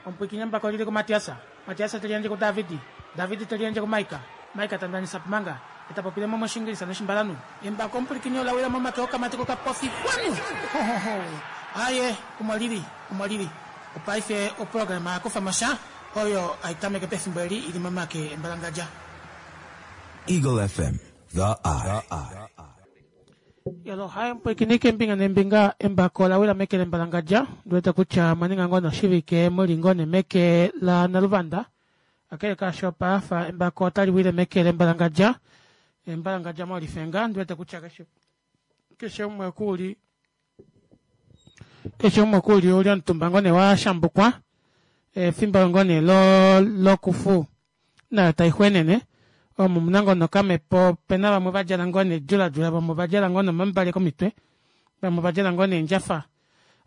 Omupwiikini embako oli li kuMatias. Matias te liyandje kuDavid. David te liyandje kuMaika. Maika ta ndanisa Pumanga, e ta popile mo mOshiingilisa nOshimbalanhu. Embako omupwilikini ola wila momake okamati kokapofi. Xwanu! Ho, ho, ho! Aaye, omo li li, omo li li. Opaife oprograma ya kufa mo sha, oyo hai tameke pefimbo eli i li momake embalangadja. Eagle FM, The Eye. Yolo hai omupwilikini keembinga neembinga embako ola wila meke lembalangadja. Ndi wete kutya mwa ninga ngoo noshivike mu li ngoo nee meke la Naluvanda. Kakele kaasho paafa embako otali wile meke lembalangadja. Embalangadja molifenga. Ndi wete kutya keshe keshe umwe oku li keshe umwe oku li uli omutumba ngoo nee wa shambukwa. Efimbo ngoo nee lo lokufu nayo tai xwenene. Omu muna ngoo nokamhepo opena vamwe va djala ngoo nee djuladjula vamwe ova djala ngoo nomambale komitwe vamwe ova djala ngoo neendjafa.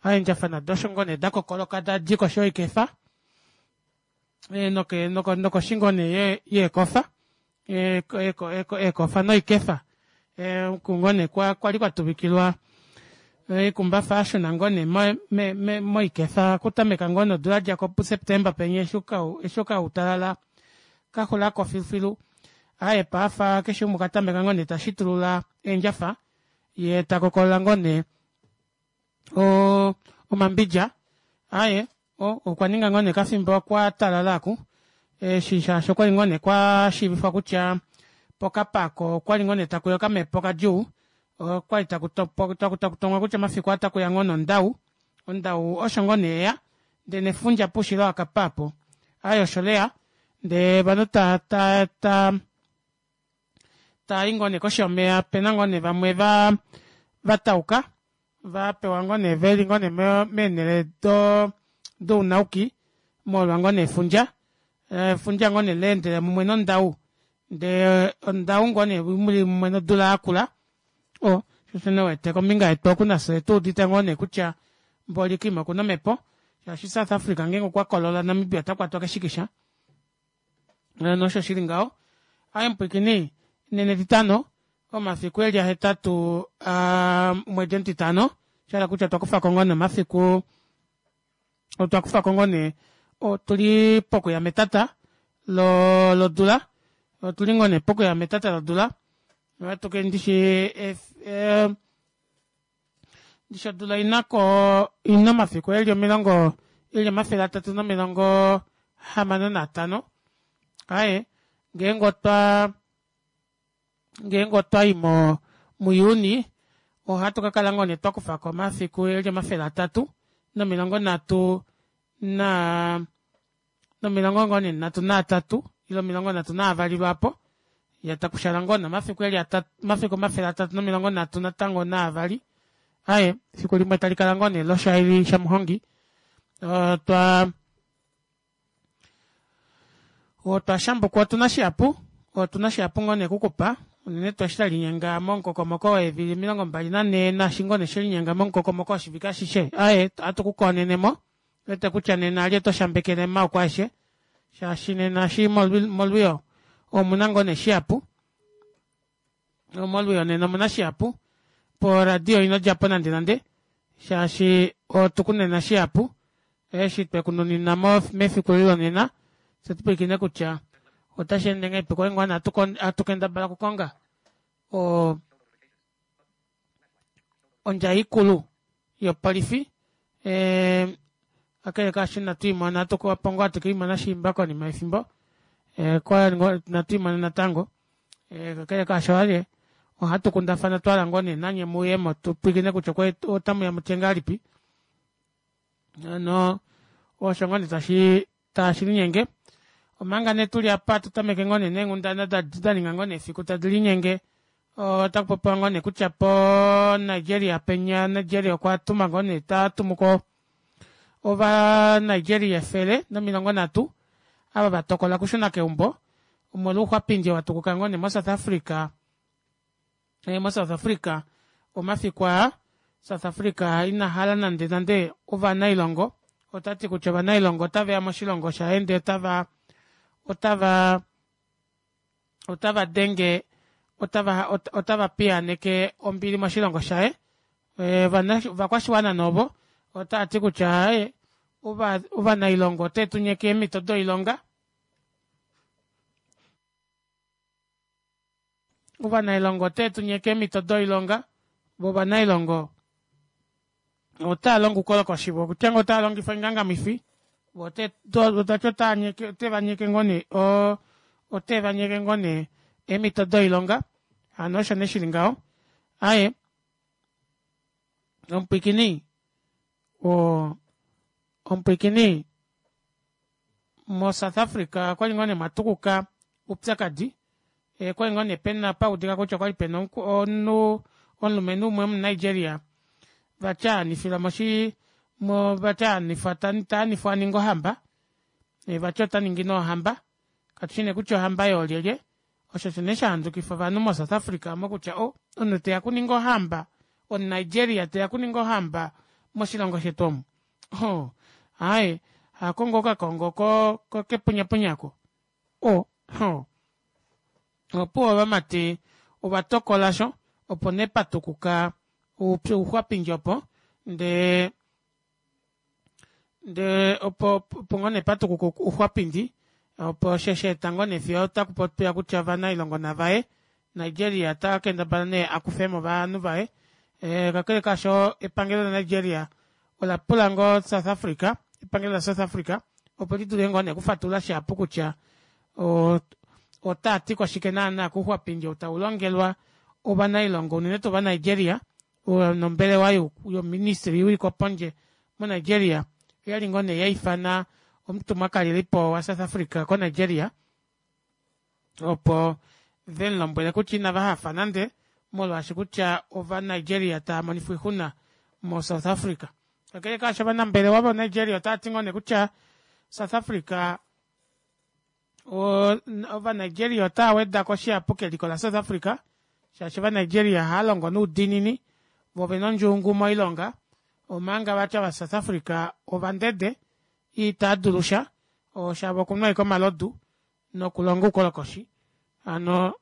Eendjafa nado osho ngoo nee da kokoloka tadi koshi yoikefa noke noko nokoshi ngoo nee yeekofa eekofa noikefa oku ngoo nee kwali kwa tuvikilwa oikumbafa ya shuna ngoo nee moikefa okutameka ngoo nee odula yadjako puSeptember penya eshi okautalala kaxulako filufilu. Aaye paife keshe umwe okwa tameka ngoo nee tashitulula eendjafa yee takokolola ngoo nee omambidja aye okwa ninga ngoo nee okafimbo kwa talala aku eshi shaashi okwali ngoo nee kwa shiivifwa kutya pokapako okwali ngoo nee takuya okamhepo kadjuu okwali taku taku tongwa kutya omafiku aa takuya ngoo nondau ondau osho ngoo nee yeya ndee nefundja poushilo wakapa apo aye osho leya ndee ovanhu ta ta ta taa i ngoo nee koshi yomeya opena ngoo nee vamwe va va tauka va pewa ngoo nee veli ngoo nee meenhele do dounauki molwa ngoo nee efundja efundja ngoo nee leendele mumwe nondau ndee ondau ngoo nee muli mumwe nodula yakula o sho nee wete kombinga yetu oku nafye tuudite ngoo nee kutya mboli koima okuna omhepo shaashi South Africa ngeenge okwa kolola Namibia ota kwatwa keshikisha. Nosho shi li ngaho. Aye mupwiikini, nena Etitano, omafiku eli ahetatu a omwedi omutitano, sha hala kutya otwa kufa ko ngoo nee omafiku, otwa kufa ko ngoo nee, otu li pokuya metata lo, lodula, otu li ngoo nee pokuya metata lodula, ohatu ke ndishi e, e, Ndishi odula ina ko ina omafiku eli omilongo eli 365. Aye ngeenge otwa ngeenge otwa i mo muJuni ohatu ka kala ngoo nee twa kufa ko omafiku eli 330 na nomilongo ngoo nee nhatu naatatu ile 32 lwaapo ya takushala ngoo nee omafiku eli omafiku 330 natango naavali aye efiku limwe tali kala ngoo nee loshaili shamuhongi otwa otwa shambukwa otuna shihapu otuna shihapu ngoo nee kukupa unene tuu eshi tali momukokomoko weevili 24 naashi ngoo nee shelinyenga momukokomoko woshivike ashishe aye ohatu ku koonene mo wete kutya nena ali oto shambekele omaoko aeshe shaashi nena shi molwiyo omuna ngoo nee shihapu molwiyo nena omuna shihapu poradio ino djapo nande nande shaashi otuku nena shihapu eshi twekununina mo mefiku eli lonena fye tupwilikine kutya otashi ende ngahelipi kwali ngoo nee hatu kendabala okukonga o ondjai ikulu yopolifi eh, kakele kaasho inatu imona opo ngoo hatu keimona shiimba konima yefimbo eh, inatu imona natango eh, kakele kaasho ale ohatu kundafana twala ngoo nee nanye muyemo tu pwilikine kutya otamu ya mutye ngahelipi no osho ngoo nee tashi tashi linyenge omanga nee tuli apa tu tameke ngoo nee neenghundana da ninga ngoo nee efiku tadi linyenge otaku popiwa ngoo nee kutya po Nigeria penya Nigeria okwa tuma ngoo nee ta tumu ko ova Nigeria 130 ava va tokola okushuna keumbo omolwa ouxwapindi wa tukuka ngoo nee mo South Africa eh, mo South Africa omafiku aa South Africa ina hala nande nande ovanailongo ota ti kutya ovanailongo otave ya moshilongo shaye ndee otava otava otava denge otava otava piyaaneke ombili moshilongo shaye eh, ovakwashiwana novo otava ti kutya eh, Ovanailongo ote tu nyeke eemhito doilonga. Ovanailongo ote tu nyeke eemhito doilonga voo ovanailongo otaa longo oukolokoshi voo okutya ngoo otaa longifa oingangamwifi voo vati oteva nyeke ngoo nee oo oteva nyeke ngoo nee eemito doilonga hano osho nee shili ngaho aaye omupwiikini oo omupwiikini mo south africa okwali ngoo nee mwatukuka oupyakadi okwali ngoo nee pena paudika kutya okwali pena omunhu omulumenhu umwe omu nigeria vati aanifilwa moshi vati taanifwa aninge ohamba vati otaningi nee ohamba katushi nee kutya ohamba yoolyelye osho osho nee shahandukifa ovanhu mo south africa aamo kutya oh omunhu teya okuninga ohamba omu nigeria teya okuninga ohamba moshilongo shetu omu ohoo aaye hako ngoo okakongo kepunyapunya aako oh hoo opuwo ovamati ovatokola osho opo nee patukuka ouxwapindi opo ndee ndee opo opo ngoo nee patukuka ouxwapindi opo osho shaeta ngoo nee fiyo otakupopiwa kutya ovanailongo navaye Nigeria takendabala nee akufemo ovanhu vaye kakele kaasho epangelo la Nigeria ola pula ngoo South Africa epangelo la South Africa opo lidule ngoo nee okufatulula shihapu kutya otaati koshike naana kouxwapindi ou taulongelwa ovanailongo unene tuu ova Nigeria nombelewa youministry yoikwapondje mo Nigeria oyali ngoo nee yaifana omutumwa kalelipo wa South Africa ko Nigeria opo vemulombwele kutya inava hafa nande molwaashi kutya ova Nigeria tava monifwa oixuna mo South Africa. Kakele kaasho ovanambelewa vo Nigeria otavati ngoo nee kutya South Africa ova Nigeria otava wedako shihapu keliko la South Africa shaashi ova Nigeria ohaalongo noudiinini voo ovena ondjungu moilonga omanga vati ova South Africa ovandede itaadulu sha shavo okunwa ashike omalodu nokulonga oukolokoshi hano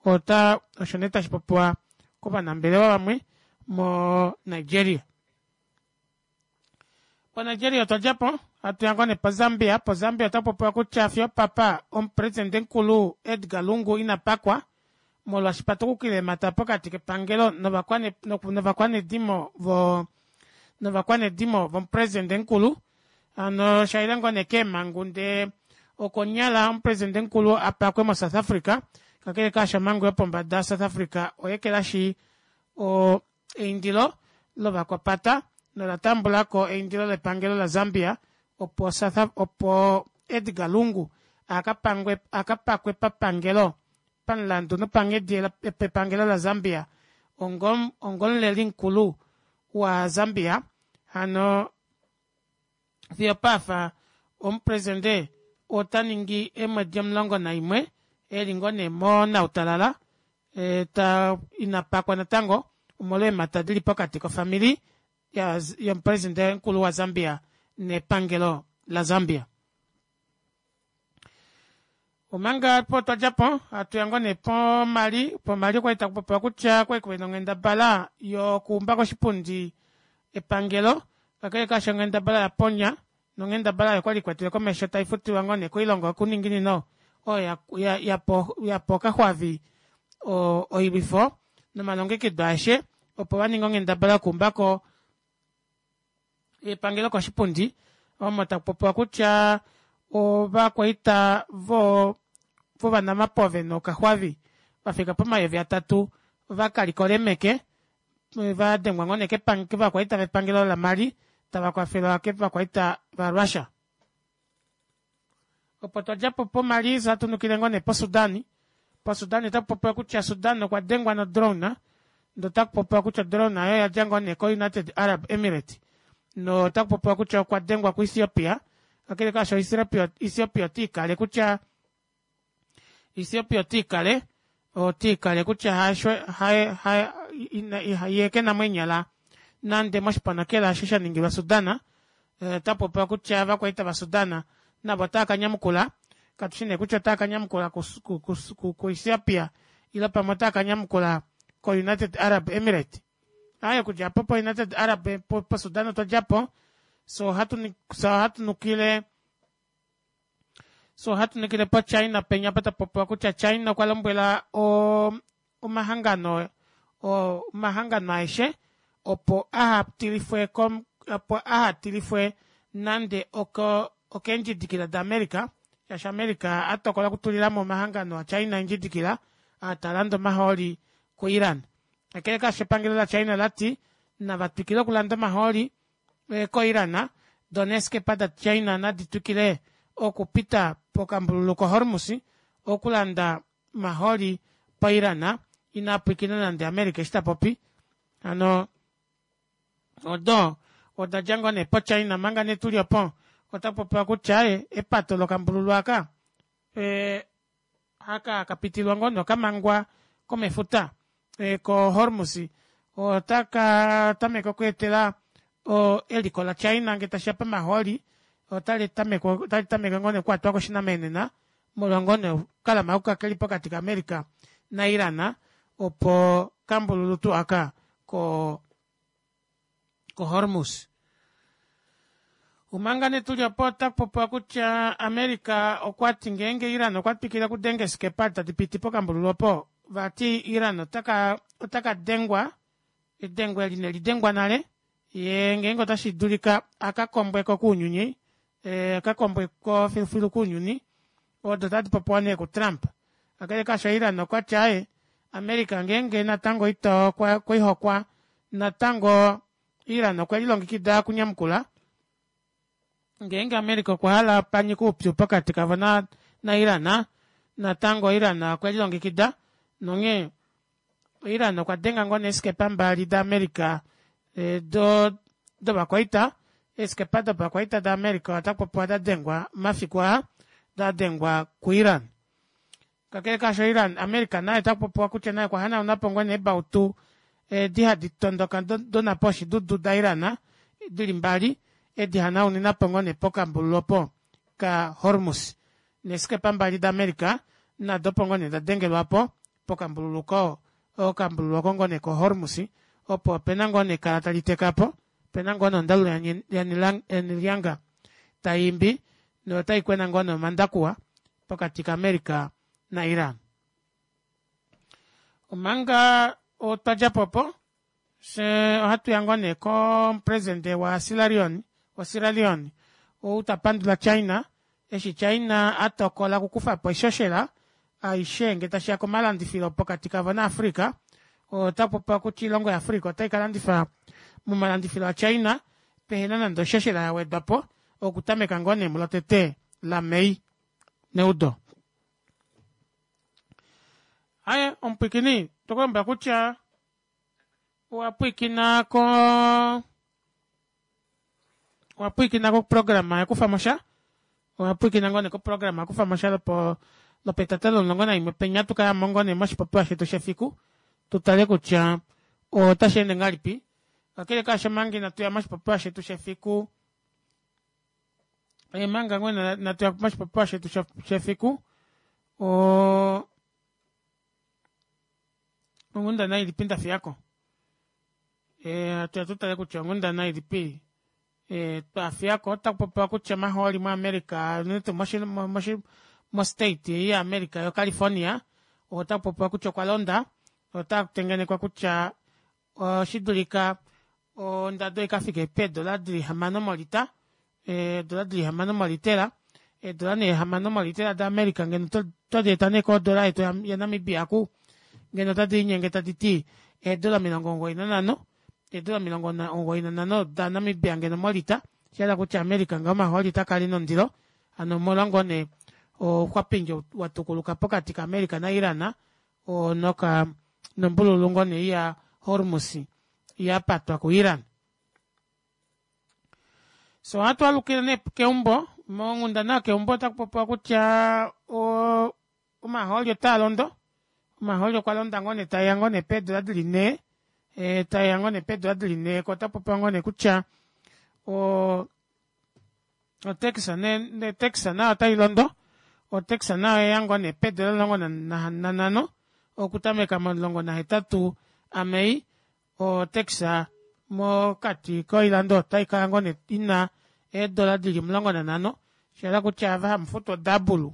ota osho nee tashi popiwa kovanambelewa vamwe mo Nigeria. PoNigeria otwa djapo hatu ya ngoo nee poZambia. PoZambia ota popiwa kutya fiyo opapa omupresidente mukulu Edgar Lungu ina pakwa molwaashi pa tukukile eemhata pokati kepangelo novakwanedimo vo novakwanedimo vomupresidente mukulu hano shaile ngoo nee keemhangu ndee okonyala omupresidente mukulu a pakwe moSouth Africa kakele kaasho omhangu yopombada yaSouth Africa oya ekelashi o eindilo lovakwapata nola tambulako eindilo lepangelo la Zambia opo South opo Edgar Lungu akapangwe akapakwe papangelo pamulandu nopanghedi pepangelo la Zambia ongo ongomuleli mukulu wa Zambia hano Fiyo paafa omupresidente ota ningi eemwedi 11 eli ngoo nee monautalala ta ina pakwa natango omolwa eemhata dili pokati kofamili yomupresidente mukulu waZambia nepangelo laZambia. Omanga opo twa dja po, hatu ya ngoo nee poMali. PoMali okwali taku popiwa kutya okwali kuna onghendabala yokuumba koshipundi epangelo, kakele kaasho onghendabala ya ponya nonghendabala oyo kwali ikwetele komesho tai futilwa ngoo nee koilongo yokuninginino oyo yapa okaxwavi oilwifo nomalongekido aeshe opo vaninge onghendabala yokuumbako epangelo koshipundi omo taku popiwa kutya ovakwaita vo vovanamapove nokaxwavi vafika pomayovi atatu vakalikola eemeke vadengwa ngoo nee kovakwaita vepangelo la Mali tava kwafelwa kovakwaita va Russia. Opo twa djapo poMali fye hatu nukile ngoo nee poSudan. PoSudan otaku popiwa kutya Sudan okwa dengwa nodrone ndee otaku popiwa kutya odrone oyo oyadja ngoo nee koUnited Arab Emirate notaku popiwa kutya okwa dengwa kuEthiopia. Kakele kaasho Ethiopia otiikale kutya Ethiopia otiikale otiikale kutya hasho haye haye yee kena mo eenyala nande moshiponokela osho sha ningilwa Sudan. Ota popiwa kutya ovakwaita vaSudan navo otava ka nyamukula katushi nee kutya otava ka nyamukula kuEthiopia ile pamwe otava ka nyamukula koUnited Arab Emirate. Aaye okudja apo poUnited Arab poSudan otwa djapo. Fyee ohatu nukile Fyee ohatu nukile poChina penya apa tapupopiwa kutya China okwa lombwela omahangano omahangano aeshe opo ahatilifwe opo ahatilifwe nande okeendjidikila da America shaashi America atokola okutulilamo omahangano a china eendjidikila aa talande omahooli ko Iran. Kakele kaasho epangelo la China olati nava twikile okulanda omahooli ko Iran doo neeskepa da China nadi twikile okupita pokambululu ko Hormus okulanda omahooli po Iran inaapwiikina nande America eshi tapopi. Hano odo odadja ngoo nee po China omanga nee tuli opo otakupopiwa kutya aaye epato lokambululu aaka aka hakapitilwa ngoo nee okamangwa komefuta ko Hormus otaka tameke okweetela eliko la China ngee tashiya pamahooli otali tameke ngoo nee okukwatwa koshinamenena molwa ngoo nee okalama oko keli pokati ka America na Iran opo okambululu tuu aka ko Hormus. Omanga nee tuli opo otakupopiwa kutya America okwati ngeenge Iran okwa twikile okudenga eeskepa tadi piti pokambululu opo vati Iran otaka dengwa edengo eli inelidengwa nale yee ngeenge otashi dulika akakombweko kounyuni akakombweko filufilu kounyuni odo otadi popiwa nee ku Trump. Kakele kaasho Iran okwati aaye America ngeenge natango ito okwehokwa natango Iran okwe lilongekida okunyamukula ngeenge America okwa hala panyike oupyu pokati kavo na Iran natango Iran okwe lilongekida nonghee Iran okwa denga ngoo nee eeskepa mbali da America dovakwaita eeskepa dopakwaita da America otakupopiwa dadengwa omafiku aa dadengwa ku Iran. Kakele kaasho Iran America naye otakupopiwa kutya naye okwa hanaunapo ngoo nee eebautu edi hadi tondoka donhapo yoshidudu da Iran dili mbali edi hanauninapo ngoo nee pokambululu opo ka Hormus. Neeskepa mbali da America nado opo ngoo nee dadengelwapo pokambululu okambululu oko ngoo nee ko Hormus opo opena ngoo nee ekala tali tekapo opena ngoo nee ondalu yanilyanga taiimbi notaikwena ngoo nee omandakuwa pokati ka America na Iran. Omanga twadjapo opo fyee ohatuya ngoo nee komupresident wa Sierra Leone ou tapandula China eshi China atokola okukufapo oishoshela aishe ngee tashiya komalandifilo pokati kavo na Africa. Otakupopiwa kutya oilongo ya Africa ota ikalandifa momalandifilo a China pehena nande oishoshela yawedwapo okutameka ngoo nee mulotete la May neudo. Aaye omupwiikini tokulombwela kutya owapwiikina ko owapwiikina koprograma yekufamosha owapwiikina ngoo nee koprograma yekufamosha lopo lopetata lomulongo naimwe penya tukayamo ngoo nee moshipopiwa shetu shefiku tutale kutya otasheende ngahelipi kakele kaasho manga inatuya moshipopiwa shetu shefiku manga ngoo inatuya moshipopiwa shetu shefiku onghundana ilipi ndafiyako hatuya tutale kutya onghundana ilipi twafiyako. Otakupopiwa kutya omahooli mo America unene tuu mo state ei ya America yo California otakupopiwa kutya okwa londa otakutengenekwa kutya oshidulika ondado ikafike peedola dili hamano molita eedola dili hamano molitela eedola nee hamano molitela da America ngeno otodieta nee kodola yetu ya Namibia oku ngeno otadi linyenge taditi eedola omilongo omugoyi nanhano eedola omilongo omugoyi nanhano da Namibia ngeno molita oshahala kutya America ngaho omahooli otakala ena ondilo hano omolwa ngoo nee ouxwapindi watukuluka pokati ka America na Iran oo noka nombululu ngoo nee ya Hormus yapatwa ku Iran. So ohatu alukile nee keumbo monghundana yokeumbo otakupopiwa kutya omahooli otaalondo omahooli okwa londa ngoo nee taeya ngoo nee peedola dili nhee taeya ngoo nee peedola dili nhee koo otakupopiwa ngoo nee kutya otax otax nayo otailondo otax nayo oyeya ngoo nee peedola omulongo nanhano okutameka momulongo nahetatu a May otax. Mokati koilando otaikala ngoo nee ina eedola dili 15 shahala kutya ava hamufutu odouble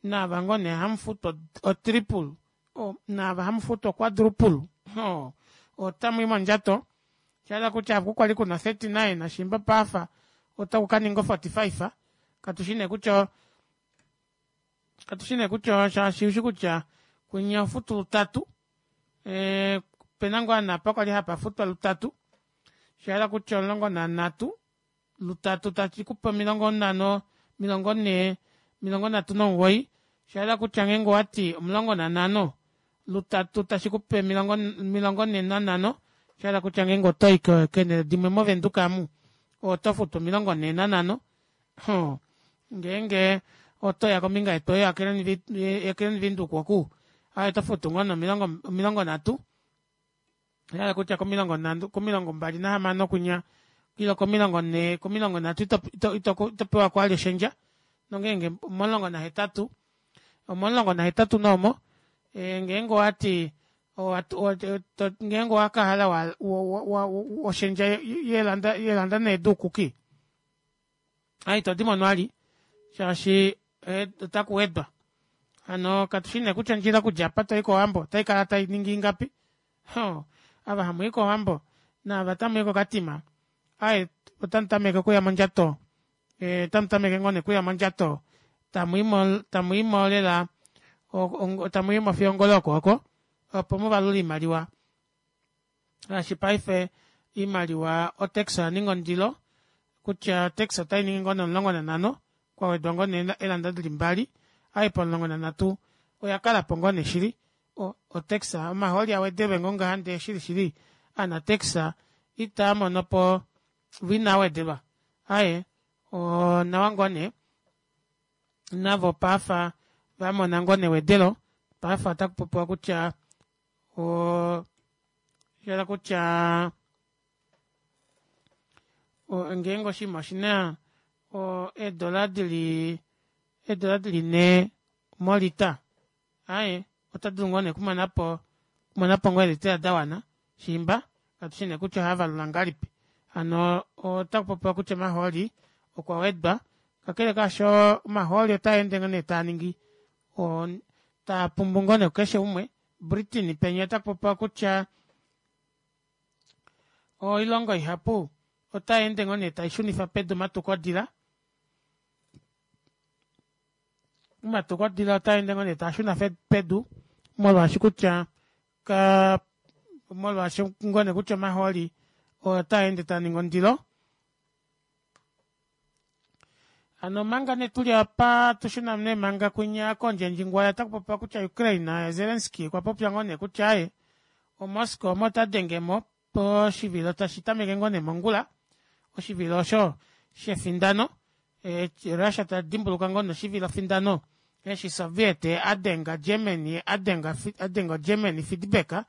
naava ngoo nee hamufutu o triple naava hamufutu o quadruple otamwii mondjato oshahala kutya oku kwali kuna o 39 shiimba paife ota kukaninga o 45 katushi nee kutya shaashi ushikutya kwinya ohofutu lutatu opena ngoo ovanhu apa kwali hapafutwa lutatu oshahala kutya 13 lutatu tashikupe omilongo nhano omilongo nhee omilongo nhatu nomugoyi oshahala kutya ngeenge owati 15 lutatu tashikupe 45 oshahala kutya ngeenge otoyi keenele dimwe mo venduka aamu otofutu 45 ngeenge otoya kombinga yetu ei ya klein windhoek oku aaye otofutu ngoo nee 30 oshahala kutya ko26 kwinya ile komilongo nhee komilongo nhatu itopewako vali oshendja nongenge omomulongo nahetatu omomulongo nahetatu nee omo ngeenge owati ngeenge owakahala oshendja yeelanda nee duukuki aaye itodimono vali shaashi otakuwedwa hano katushi nee kutya ondjila okudja apa toyi kowambo otaikala tainingi ingapi ava hamuyi kowambo naava tamuyi ko katima aaye otamutameke okuya mondjato otamutameke ngoo nee okuya mondjato tamwiimo lela tamwiimo fiyo ongolo yokooko opo muvalule oimaliwa shaashi paife oimaliwa o taxi oyaninga ondilo kutya otaxi otainingi ngoo nee 15 kwawedwa ngoo nee eelanda dili mbali aaye pomulongo nanhatu oyakalapo ngoo nee shili o taxi omahooli awedelwe ngoo ngaha ndee shili shili ovana taxi itaamonopo voo inaawedelwa aaye onawa ngoo nee navo paife vamona ngoo nee ewedelo paife otakupopiwa kutya oshahala kutya ngeenge oshinima oshina eedola dili 4 molita aaye otodulu ngoo nee okumonapo okumonapo ngoo eelitela dawana shiimba katushi nee kutya ohaavalula ngahelipi hano otakupopiwa kutya omahooli okwa wedwa kakele kaasho omahooli otaende ngoo nee taaningi taapumbu ngoo nee kukeshe umwe Britain penya otakupopiwa kutya oilongo ihapu otayeende ngoo nee taishunifa pedu omatukodila omatukodila otaende ngoo nee taashuna pedu molwaashi kutya molwaashi ngoo nee kutya omahooli otaende taaningi ondilo hano omanga nee tuli apa tushuna nee manga kwinya kondjendjingwaya otakupopiwa kutya Ukraine Zelensky okwa popya ngoo nee kutya aaye o Moscow omo tadengemo poshivilo tashi tameke ngoo nee mongula oshivilo osho shefindano Russia ta dimbuluka ngoo nee oshivilo findano eshi Soviet adenga Germany adenga adenga Germany feedback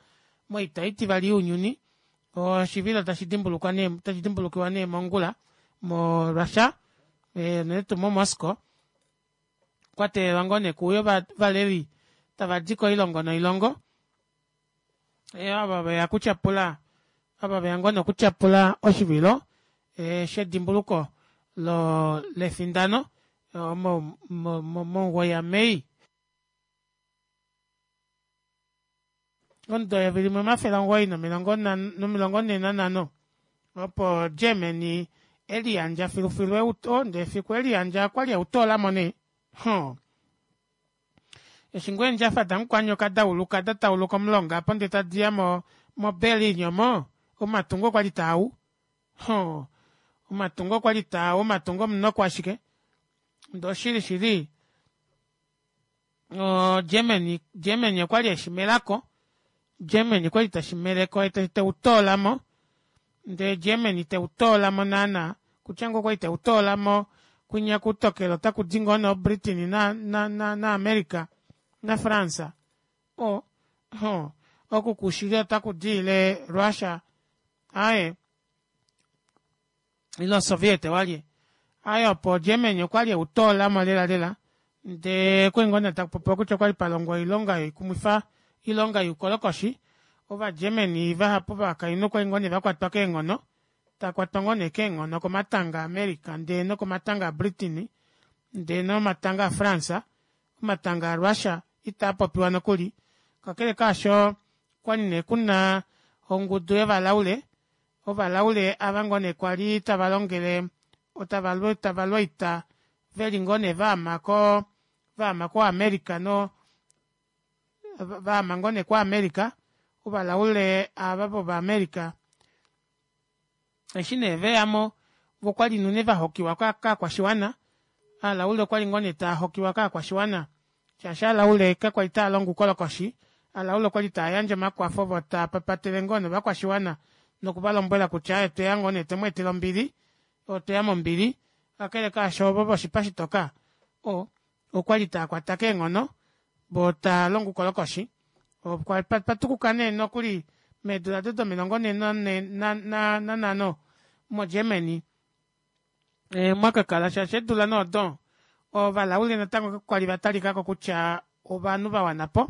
moita itivali younyuni oshivilo tashi dimbulukwa nee tashi dimbulukiwa nee mongula mo Russia unene tuu mo Moscow kwa teelelwa ngoo nee kuuye ovaleli tava di koilongo noilongo ava veya okutyapula ava veya ngoo nee okutyapula oshivilo shedimbuluko lefindano momugoyi yaMei. Omudo eyovi limwe omafele omugoyi nomilongo nhee nanhano opo Germany eliyandja filufilu ndee efiku eliyandja okwali eutoolamo nee Eshi ngoo eendjafa damukwanyoka dauluka da tauluka omulonga apo ndee tadiya mo moBerlin omo, omatungo okwali taau. Hoo, omatungo okwali taau, omatungo omunoko ashike. Ndee oshili shili, o Germany, Germany okwali eshi melako. Germany okwali teshi meleko ye teu toola mo. Ndee Germany teu toola mo naana, kutya ngoo okwali teu toola mo kwinya kutokelo otaku di ngoo nee oBritain na, na, na, naAmerica naFrance. O, ho, oku kushili otaku di ile Russia, aaye, ile oSoviet walye. Aaye opo Germany okwali eu toola mo lela lela, ndee okwali ngoo nee taku popiwa kutya okwali pa longwa oilonga yoikumwifa, oilonga youkolokoshi. Ova Germany vahapu ovakainhu okwali ngoo nee vakwatwa keenghono takwatwa ngoo nee keenghono komatanga a America ndee nokomatanga a Britain ndee nomatanga a France omatanga a Russia itaapopiwa nokuli kakele kaasho okwali nee kuna ongudu yovalaule ovalaule ava ngoo nee kwali tava longele tava lu oita veli ngoo nee vaama koo vaama ko america no vaama ngoo nee ku america ovalaule aava vova america eshi nee veyamo voo okwali unene vahokiwa kovakwashiwana ovalaule okwali ngoo nee taahokiwa kovakwashiwana shaashi ovalaule kakwali taalongo oukolokoshi ovalaule okwali taayandje omakwafo voo taapapatele ngoo nee ovakwashiwana nokuvalombwela kutya aaye otweya ngoo nee twemweetela ombili otweya mombili kakele kaasho ovo voshipa shitoka oo okwali taakwata keenghono voo taalongo oukolokoshi okwa patukuka nee nokuli meedula odo domilongo nhee nanhano mo germany mwakakala shaashi eedula nee odo ovalaule natango kakwali vatalikako kutya ovanhu vawanapo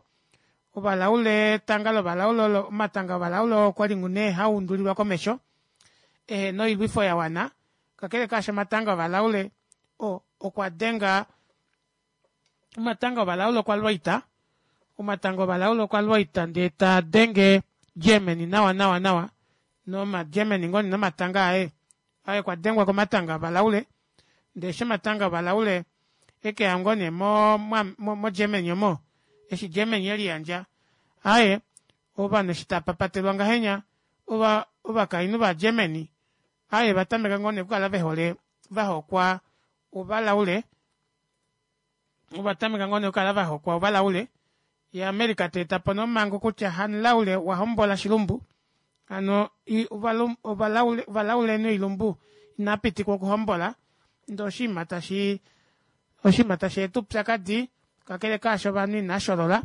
ovalaule etanga lovalaule olo omatanga ovalaule oo okwali nee haundulilwa komesho ehena oilwifo yawana kakele kaasho omatanga ovalaule okwa denga omatanga ovalaule okwalwa oita omatanga ovalaule okwalwa oita ndee taadenge Germany nawa nawa nawa noma Germany ngoo nee nomatanga aye aye okwa dengwa komatanga ovalaule ndee eshi omatanga ovalaule ekeya ngoo nee mo mo Germany omo eshi Germany eliyandja aaye ovanhu eshi tapapatelwa ngahenya ova ovakainhu va Germany aaye ovatameka ngoo nee okukala vehole vahokwa ovalaule ovatameka ngoo nee okukala vahokwa ovalaule ye America teetapo nee omango kutya hamulaule wahombola shilumbu hano ovalaule noilumbu inapitikwa okuhombola ndee oshinima tashi oshinima tashi eta oupyakadi kakele kaasho ovanhu inasholola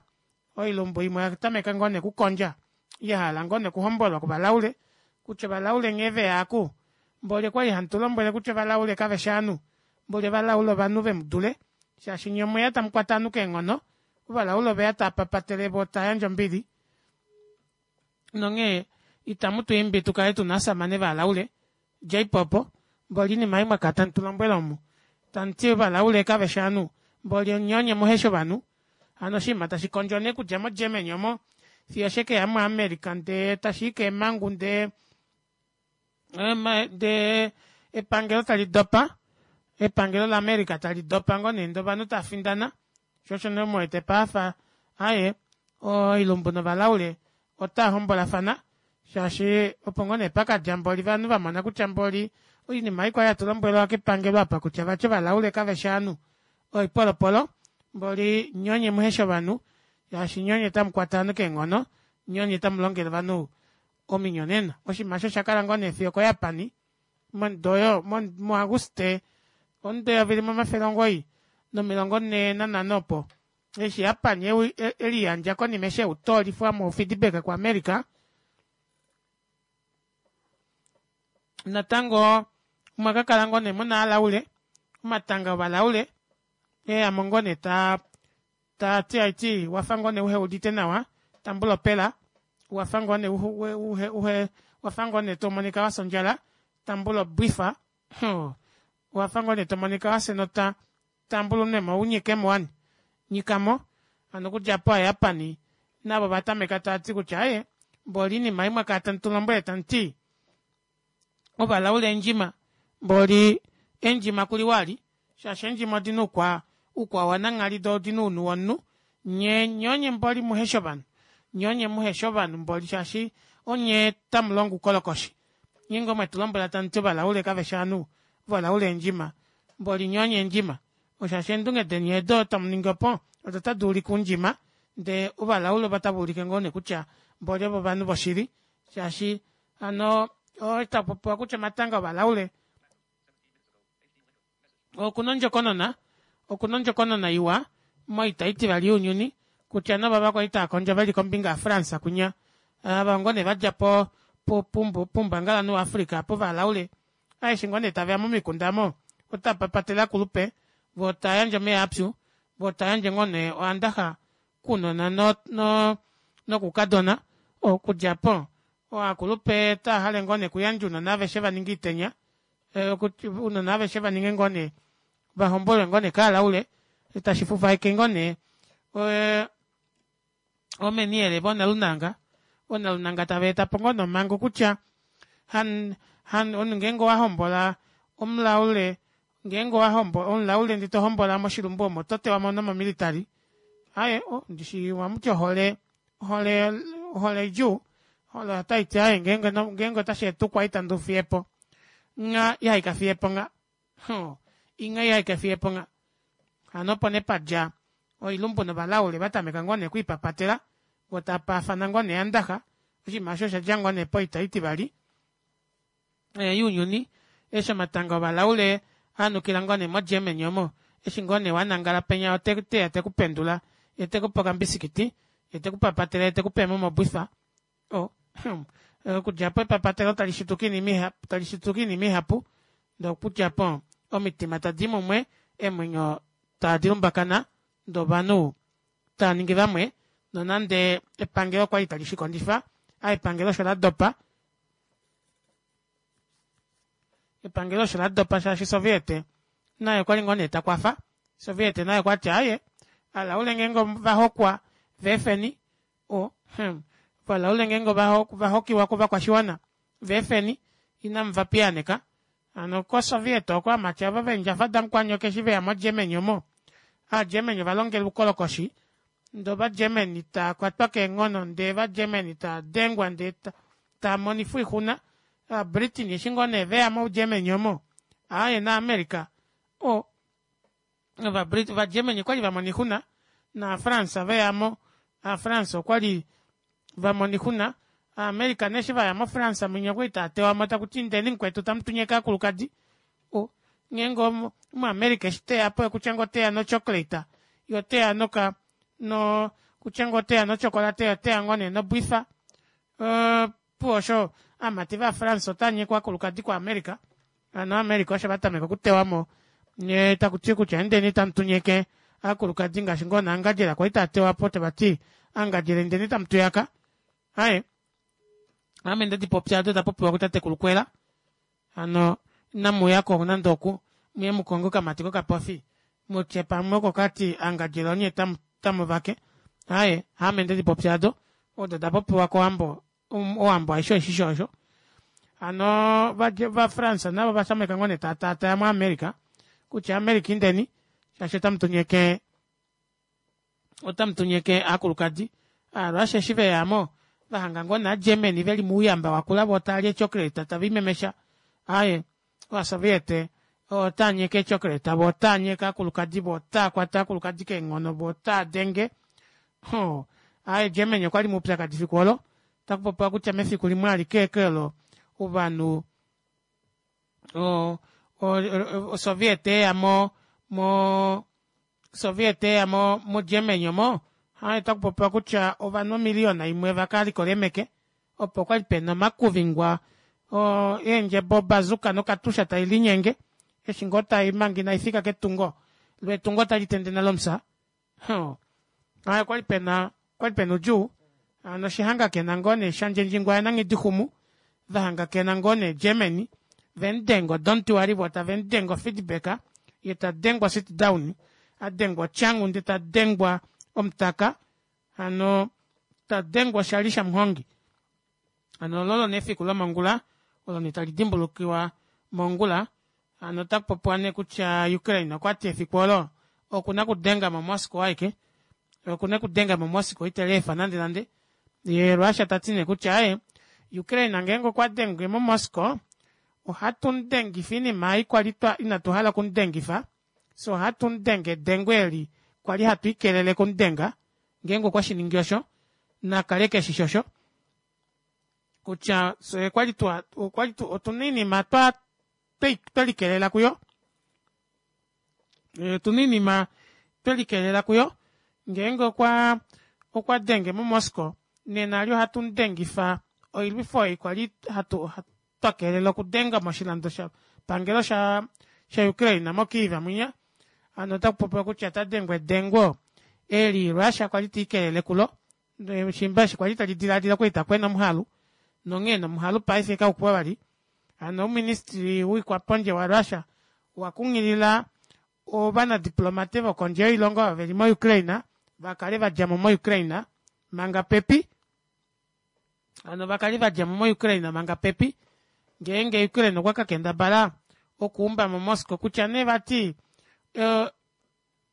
oilumbu imwe oyatameka ngoo nee okukondja yahala ngoo nee okuhombolwa kovalaule kutya ovalaule nghee veya aaku mboli okwali hamutulombwele kutya ovalaule kaveshi ovanhu mboli ovalaule ovanhu vemudule shaashi nyee omweya tamukwata ovanhu keenghono ovalaule oveya taapapatele voo tayandje ombili nonghee itamu twiimbi tukale tuna ovashamane valaule djeipo opo mboli oinima ei mwakala tamutulombwele omu tamuti ovalaule kaveshi ovanhu mboli nyee onye muheshi ovanhu hano oshinima tashi kondjwa nee okudja mo germany omo fiyo shekeya mo america ndee tashii keemangu ndee ndee epangelo tali dopa epangelo la america tali dopa ngoo nee ndee ovanhu tafindana shoo osho nee muwete paife aaye oilumbu novalaule otaa hombolafana shaashi opo ngoo nee pakadja mboli ovanhu vamona kutya mboli oinima ei kwali hatu lombwelwa kepangelo apa kutya vati ovalaule kaveshi ovanhu oipolopolo mboli nyee onye muheshi ovanhu shaashi nyee onye tamukwata ovanhu keenghono nyee onye tamulongele ovanhu ominyonena oshinima osho oshakala ngoo nee fiyo okoJapan momudo oyo muAguste omudo 1945 opo eshi Japan eliyandja konima eshi eutoolifwa mo feedback ku America natango omwakakala ngoo nee muna alaule omatanga ovalaule eyamo ngoo nee taa tati aiti wafa ngoo nee uheudite nawa tambula opela wafa ngoo nee uhe uhe wafa ngoo nee tomonika wafya ondjala tambula obwifa wafa ngoo nee tomonika wafya enota tambula unwemo unyikemo wani nyikamo hano okudja aapo aaJapan navo ovatameka taati kutya aaye mboli oinima ei mwakala tamutulombwele tamuti ovalaule eendjima mboli eendjima kuliwa ali shaashi eendjima odina oukwa oukwao wananghali doo odina ounhu womunhu nyee nyee onye mboli muheshi ovanhu nyee onye muheshi ovanhu mboli shaashi onye tamulongo oukolokoshi nyee ngoo mwetulombwela tamuti ovalaule kaveshi ovanhu ovalaule eendjima mboli nyee onye eendjima shaashi eendunge deni edo tamuningi opo odo tadi ulike oundjima ndee ovalaule ovo otava ulike ngoo nee kutya mboli ovo ovanhu voshili shaashi hano otapopiwa kutya omatanga ovalaule okuna ondjokonona okuna ondjokonona iwa moita itivali younyuni kutya novava kwali taakondjo veli kombinga yafrance kwinya ava ngoo nee vadja po poumbangalanhu waafrica povalaule aeshe ngoo nee taveya momikunda omo otava papatele ovakulupe voo tayandje omeva apyu voo tayandje ngoo nee oandaxa kounona no no nokoukadona. Okudja po ovakulupe otavahale ngoo nee okuyandja ounona aveshe vaninge oitenya ounona aveshe vaninge ngoo nee vahombolwe ngoo nee kaalaule tashi fufaike ngoo nee oomeniyele voonalunanga, oonalunanga taveetapo ngoo nee omango kutya omunhu ngeenge owahombola omulaule ngeenge omulaule ndee tohombola moshilumbu omo oto tewamo nomo military aaye ndishi ohamuti ohole ohole oidjuu ohole otaiti aaye ngeenge otasheeta oukwaita nduufiyepo ngha ihaikafiyepo ngha ingha ihaikafiyepo ngha hano opo nee padja oilumbu novalaule vatameka ngoo nee okwiipapatela voo tavapaafana ngoo nee eeyandaxa oshinima aasho oshadja ngoo nee poita oitivali younyuni eshi omatanga ovalaule anukila ngoo nee mo germany omo eshi ngoo nee wanangala penya oteya tekupendula yee tekupe okambisikiti yee tekupapatele yee tekupe eemuma obwifa oo okudja aapo epapatelo talishituka oinima ihapu ndee okudja aapo omitima tadii mumwe eemwenyo tadilumbakana ndee ovanhu tavaningi vamwe nonande epangelo okwali tali shikondjifa aaye epangelo osho ladopa epangelo osho ladopa shaashi soviet naye okwali ngoo nee takwafa soviet naye okwati aaye ovalaule ngeenge ovahokwa veefeni ovalaule ngeenge ovahokiwa kovakwashiwana veefeni inamuva piyaaneka hano ko soviet oko ovamati aava veendjafa damukwanyoka eshi veya mo germany omo aa germany ovalongelwa oukolokoshi ndee ova germany taakwatwa keenghono ndee ova germany taadengwa ndee taamonifwa oixuna ova britain eshi ngoo nee veya mo germany omo aaye na america oo ova germany okwali vamona oixuna naa france veyamo ova france okwali vamona oixuna ova america nee eshi vaya mo france mwinya okwali taatewamo takuti indeni mukwetu tamutunyeke ovakulukadi ngeenge omu america eshi teyapo okutya ngoo oteya no chocolate yee oteya noka kutya ngoo oteya no chocolate yee oteya ngoo nee nobwifa opuwo osho ovamati vaa france otaanyekwa ovakulukadi ku america hano ova america osho vatameka okutewamo yee takuti kutya indeni tamutunyeke ovakulukadi ngaashi ngoo nee ongandjera kwali taatewapo tavati angandjera indeni tamutuyaka aaye ame ndedipopya odo dapopiwa kutatekulu kwela hano inamuyako nande oku muye mukonge okamati kokapofi mutye pamwe oko kati angandjera onye otamuvake aaye haame ndedipopya aado odo odapopiwa kowambo owambo aishe oishishi osho hano va france navo ovatameka ngoo nee tataataya mo america kutya america indeni shaashi otamutunyeke otamutunyeke aakulukadi aaRussia eshi veyamo vahanga ngoo nee aaGermany veli mouyamba wakula voo taali ee chocolate taviimemesha aaye ovasoviet otaanyeke ee chocolate voo otaanyeke aakulukadi voo otaakwata aakulukadi keenghono voo otaadenge hoo aaye Germany okwali moupyakadi efiku olo otakupopiwa kutya mefiku limwe alike ashike olo ovanhu osoviet yeya mo mo Soviet eya mo mo Germany omo ota kupopiwa kutya ovanhu omiliyona imwe vakalikola eemeke opo kwali pena omakuvingwa eendjebo obazuka nokatusha tailinyenge eshi ngoo tai manga inaifika ketungo loo etungo otali tende nale omufya aaye okwali pena okwali pena oudjuu hano oshihangakena ngoo nee shandjendjingwa yananghidixumu vahangakena ngoo nee Germany vemudenga odomuti wali voo tavemudenge ofeedback yee tadengwa osit down adengwa otyangu ndee tadengwa omutaka hano tadengwa oshali shamuhongi hano olo olo nee efiku lomongula olo nee tali dimbulukiwa mongula hano otakupopiwa nee kutya Ukraine okwati efiku olo okuna okudenga mo Moscow aike okuna okudenga mo Moscow iteleefa nande nande yee Russia tati nee kutya aaye Ukraine ngeenge okwa denge mo Moscow ohatu mudengifa oinima ei kwali inatu hala okumudengifa fyee ohatu mudenge edengo eli kwali hatu ikelele okumudenga ngeenge okwe shiningi osho nakale keshishi osho kutya fyee okwali twa okwali otuna oinima twa twelikelela kuyo otuna oinima twelikelela kuyo ngeenge okwa okwa denge mo Moscow nena eli ohatu mudengifa oilwifo ei kwali hatu twa keelela okudenga moshilando pangelo sha sha Ukraine mo Kyiv mwinya hano ota kupopiwa kutya ota dengwa edengo eli Russia kwali tiikelele kulo. Shimba eshi kwali tali dilaadila okwali takwena omuhalu nonghee nomuhalu paife kaukuwa vali. Hano ouministry woikwapondje wa Russia owa kunghilila ovanadiplomate vokondje yoilongo ava veli mo Ukraine vakale vadjamo mo Ukraine manga pepi. Hano vakale vadjamo mo Ukraine manga pepi ngeenge Ukraine okwa kakendabala okuumba mo Moscow kutya nee vati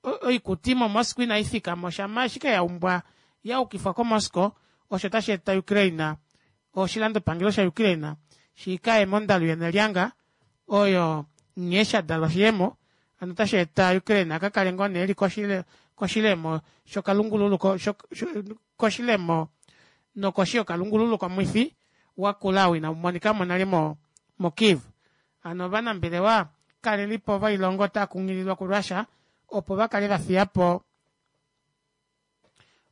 oikuti moMoscow inai fika mo shama ashike ya umbwa ya ukifwa koMoscow osho tashi eta Ukraine oshilandopangelo shaUkraine shikaye mondalu yenelyanga oyo nghee sha dalwa shiyemo hano otashi eta Ukraine aka kale ngoo nee eli koshilemo shokalungululu koshilemo nokoshi yokalungululu komwifi wakula ou inau monika mo nale moKyiv. Hano ovanambelewa kalelipo voilongo otava kunghililwa kuRussia opo va kale va fiya po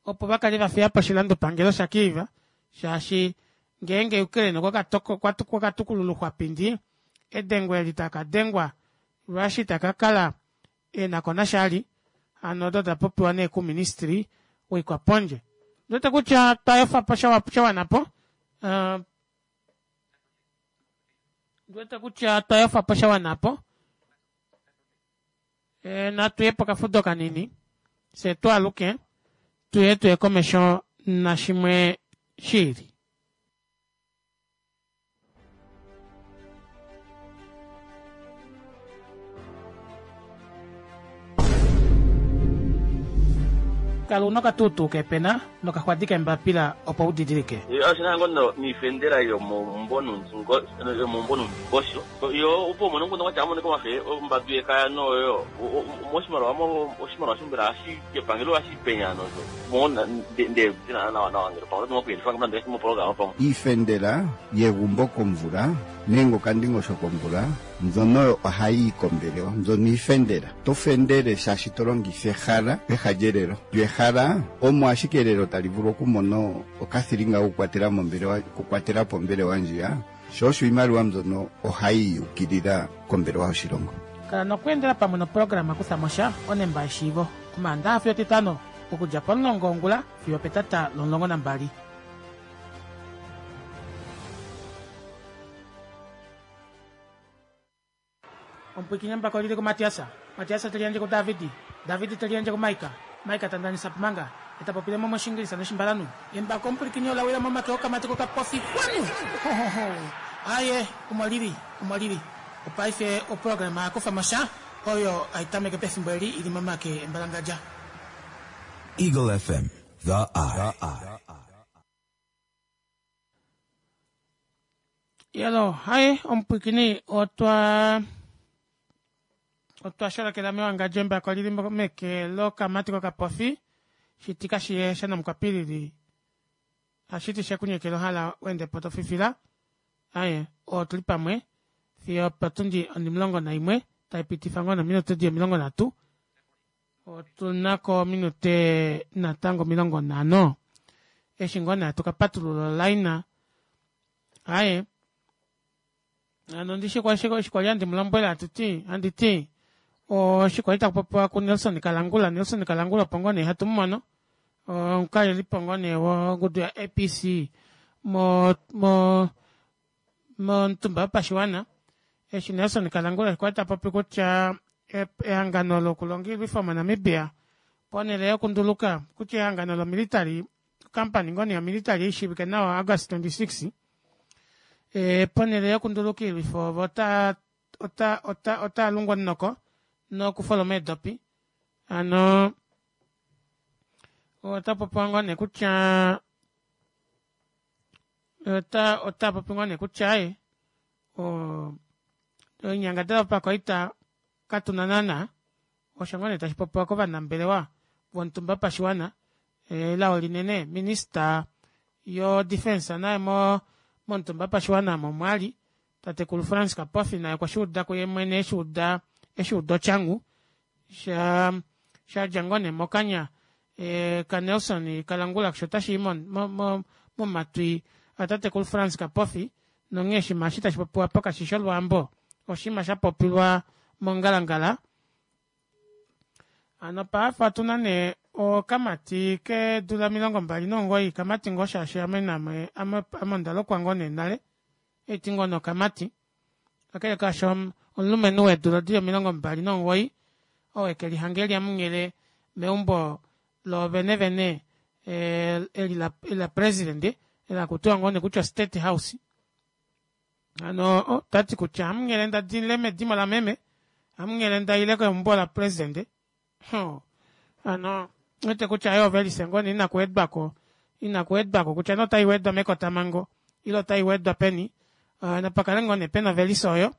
opo va kale va fiya po oshilandopangelo shaKyiv shaashi ngeenge Ukraine okwa ka tukulula ouxwapindi edengo eli taka dengwa Russia ita ka kala e na ko nasha ali. Hano odo da popiwa nee kuministry woikwapondje. Ndiwete kutya twa efa po sha wana po. Uh, ndiwete kutya twa efa po sha wana po. E, natu ye pokafudo kanini fye tu aluke tuye tuye komesho nashimwe shiili. Kala una okatuutuu kepena nokaxwadi kembapila opo u didilike. Oshina ngo niifendela yomomumbo nuundingosho. Yo opo umone omukundu gwatya amonike omafe ombandu yekaya noyo moshimaliwa mo oshimaliwa shombela hashi kepangelo hashi penya nozo mo nde dina nawa nawa ngele pamwe oto kuyelifa ngame ndi mo pamwe. Iifendela yegumbo komvula nenge okandingosho komvula mbyono oyo ohayi yi kombelewa. Mbyono iifendela. To fendele shaashi to longitha ehala peha lyelelo. Lyo ehala omo ashike elelo tali vulu okumona okathilinga kokukwatela mombelewa, okukwatela po ombelewa ndjiya. Sho osho iimaliwa mbyono ohayi ukilila kombelewa yoshilongo. Kala nokweendela pamwe noprograma Kutha mo sha, onemba yeshiivo, Omaandaha fiyo Etitano, okudja pomulongo wongula fiyo opetata lomulongo nambali. Omupwikinyambako lili kuMatiasa, Matiasa te liyandje kuDavidi, Davidi te liyandje kuMaika, Maika ta ndanisa Pumanga, e ta popile mo mOshingilisa nOshimbalanhu. Embako omupwilikini ola wila momake okamati kokapofi kwanu! Hohoho! Aaye, omo lili, omo lili. Opaife oprograma ya kufa mo sha, oyo hai tameke pefimbo eli i li momake embalangadja. Eagle FM, The Eye. Yelo, hai omupwikini otwa otwa sholokela mewangadjo embako lili meke lokamati kokapofi shitika shiye shanamukwapilili hashiti shekunyekela ohala wende po tofifila aye otuli pamwe fiyo potundi onimulongo naimwe taipitifa ngoo nominute di 30 Otu na ko ominute natango 50 eshi ngoo nee hatu ka patulula olaina. Aye, hano ndishi kwa eshi kwali handi mu lombwele hatu ti, handi ti oshi kwali taku popiwa kuNelson Kalangula. Nelson Kalangula opo ngoo nee hatu mu mono omukalelipo ngoo nee wongudu ya-APC mo mo momutumba wopashiwana eshi Nelson Kalangula kwali ta popi kutya ehangano lokulonga oilwifo moNamibia ponhele yokunduluka kutya ehangano lomilitary company ngoo nee yomilitary ishiivike nawa August 26 e, ponhele yokunduluka oilwifo ovo ota ota ota ota lungwa omunoko nokufoloma eedopi hano ota popiwa ngoo nee kutya ota ota popi ngoo nee kutya aye oinyangadalwa yopakwaita katu na naana osho ngoo nee tashi popiwa kovanambelewa vomutumba wopashiwana elao linene minista yo defense naye mo momutumba wopashiwana omo mwali tatekulu Frans Kapofi naye okwa shuuda kuye mwene eshuuda eshuuda otyangu sha shadja ngoo nee mokanya e, kaNelson Kalangula sho tashi i momatwi atatekulu Frans Kapofi nonghee oshinima eshi tashi popiwa po kashi shi olwaambo oshinima sha popilwa mongalangala. Hano paife otu na nee Okamati keedula 29 kamati ngoo shaashi ame name ame ondalokwa ngoo nee nale haiti ngoo nee okamati kakele kaasho omulumenhu weedula dili 29 oo ekelihanga eli hamunghele meumbo loovene vene eli lapresident eli hakutiwa ngoo nee kutya o state house hano otati kutya hamunghele ndadile medimo lameme hamunghele ndaile keumbo lapresident hano ouwete kutya aaye ovelise ngoo nee inakuwedwako inakuwedwako kutya nee otaiwedwa mekotamango ile otaiwedwa peni napakale ngoo nee pena ovelise oyo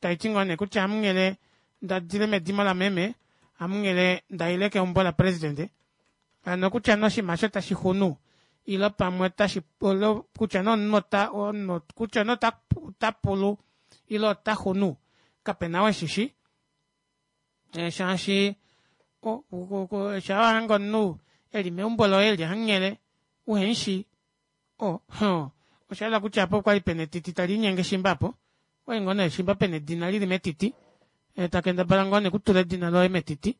taiti ngoo nee kutya hamunghele ndadile medimo lameme hamunghele ndaile keumbo lapresident hano kutya nee oshinima aasho tashixunu ile pamwe otashi kutya nee omunhu kutya nee otapulu ile otaxunu kapena ou eshishi shaashi shaa wahange omunhu eli meumbo loye eli hamunghele uhemushi oshayela kutya aapa okwali pena etiti taliinyenge shimba aapo okwali ngoo nee shimba pena edina lili metiti takendabala ngoo nee okutula edina loye metiti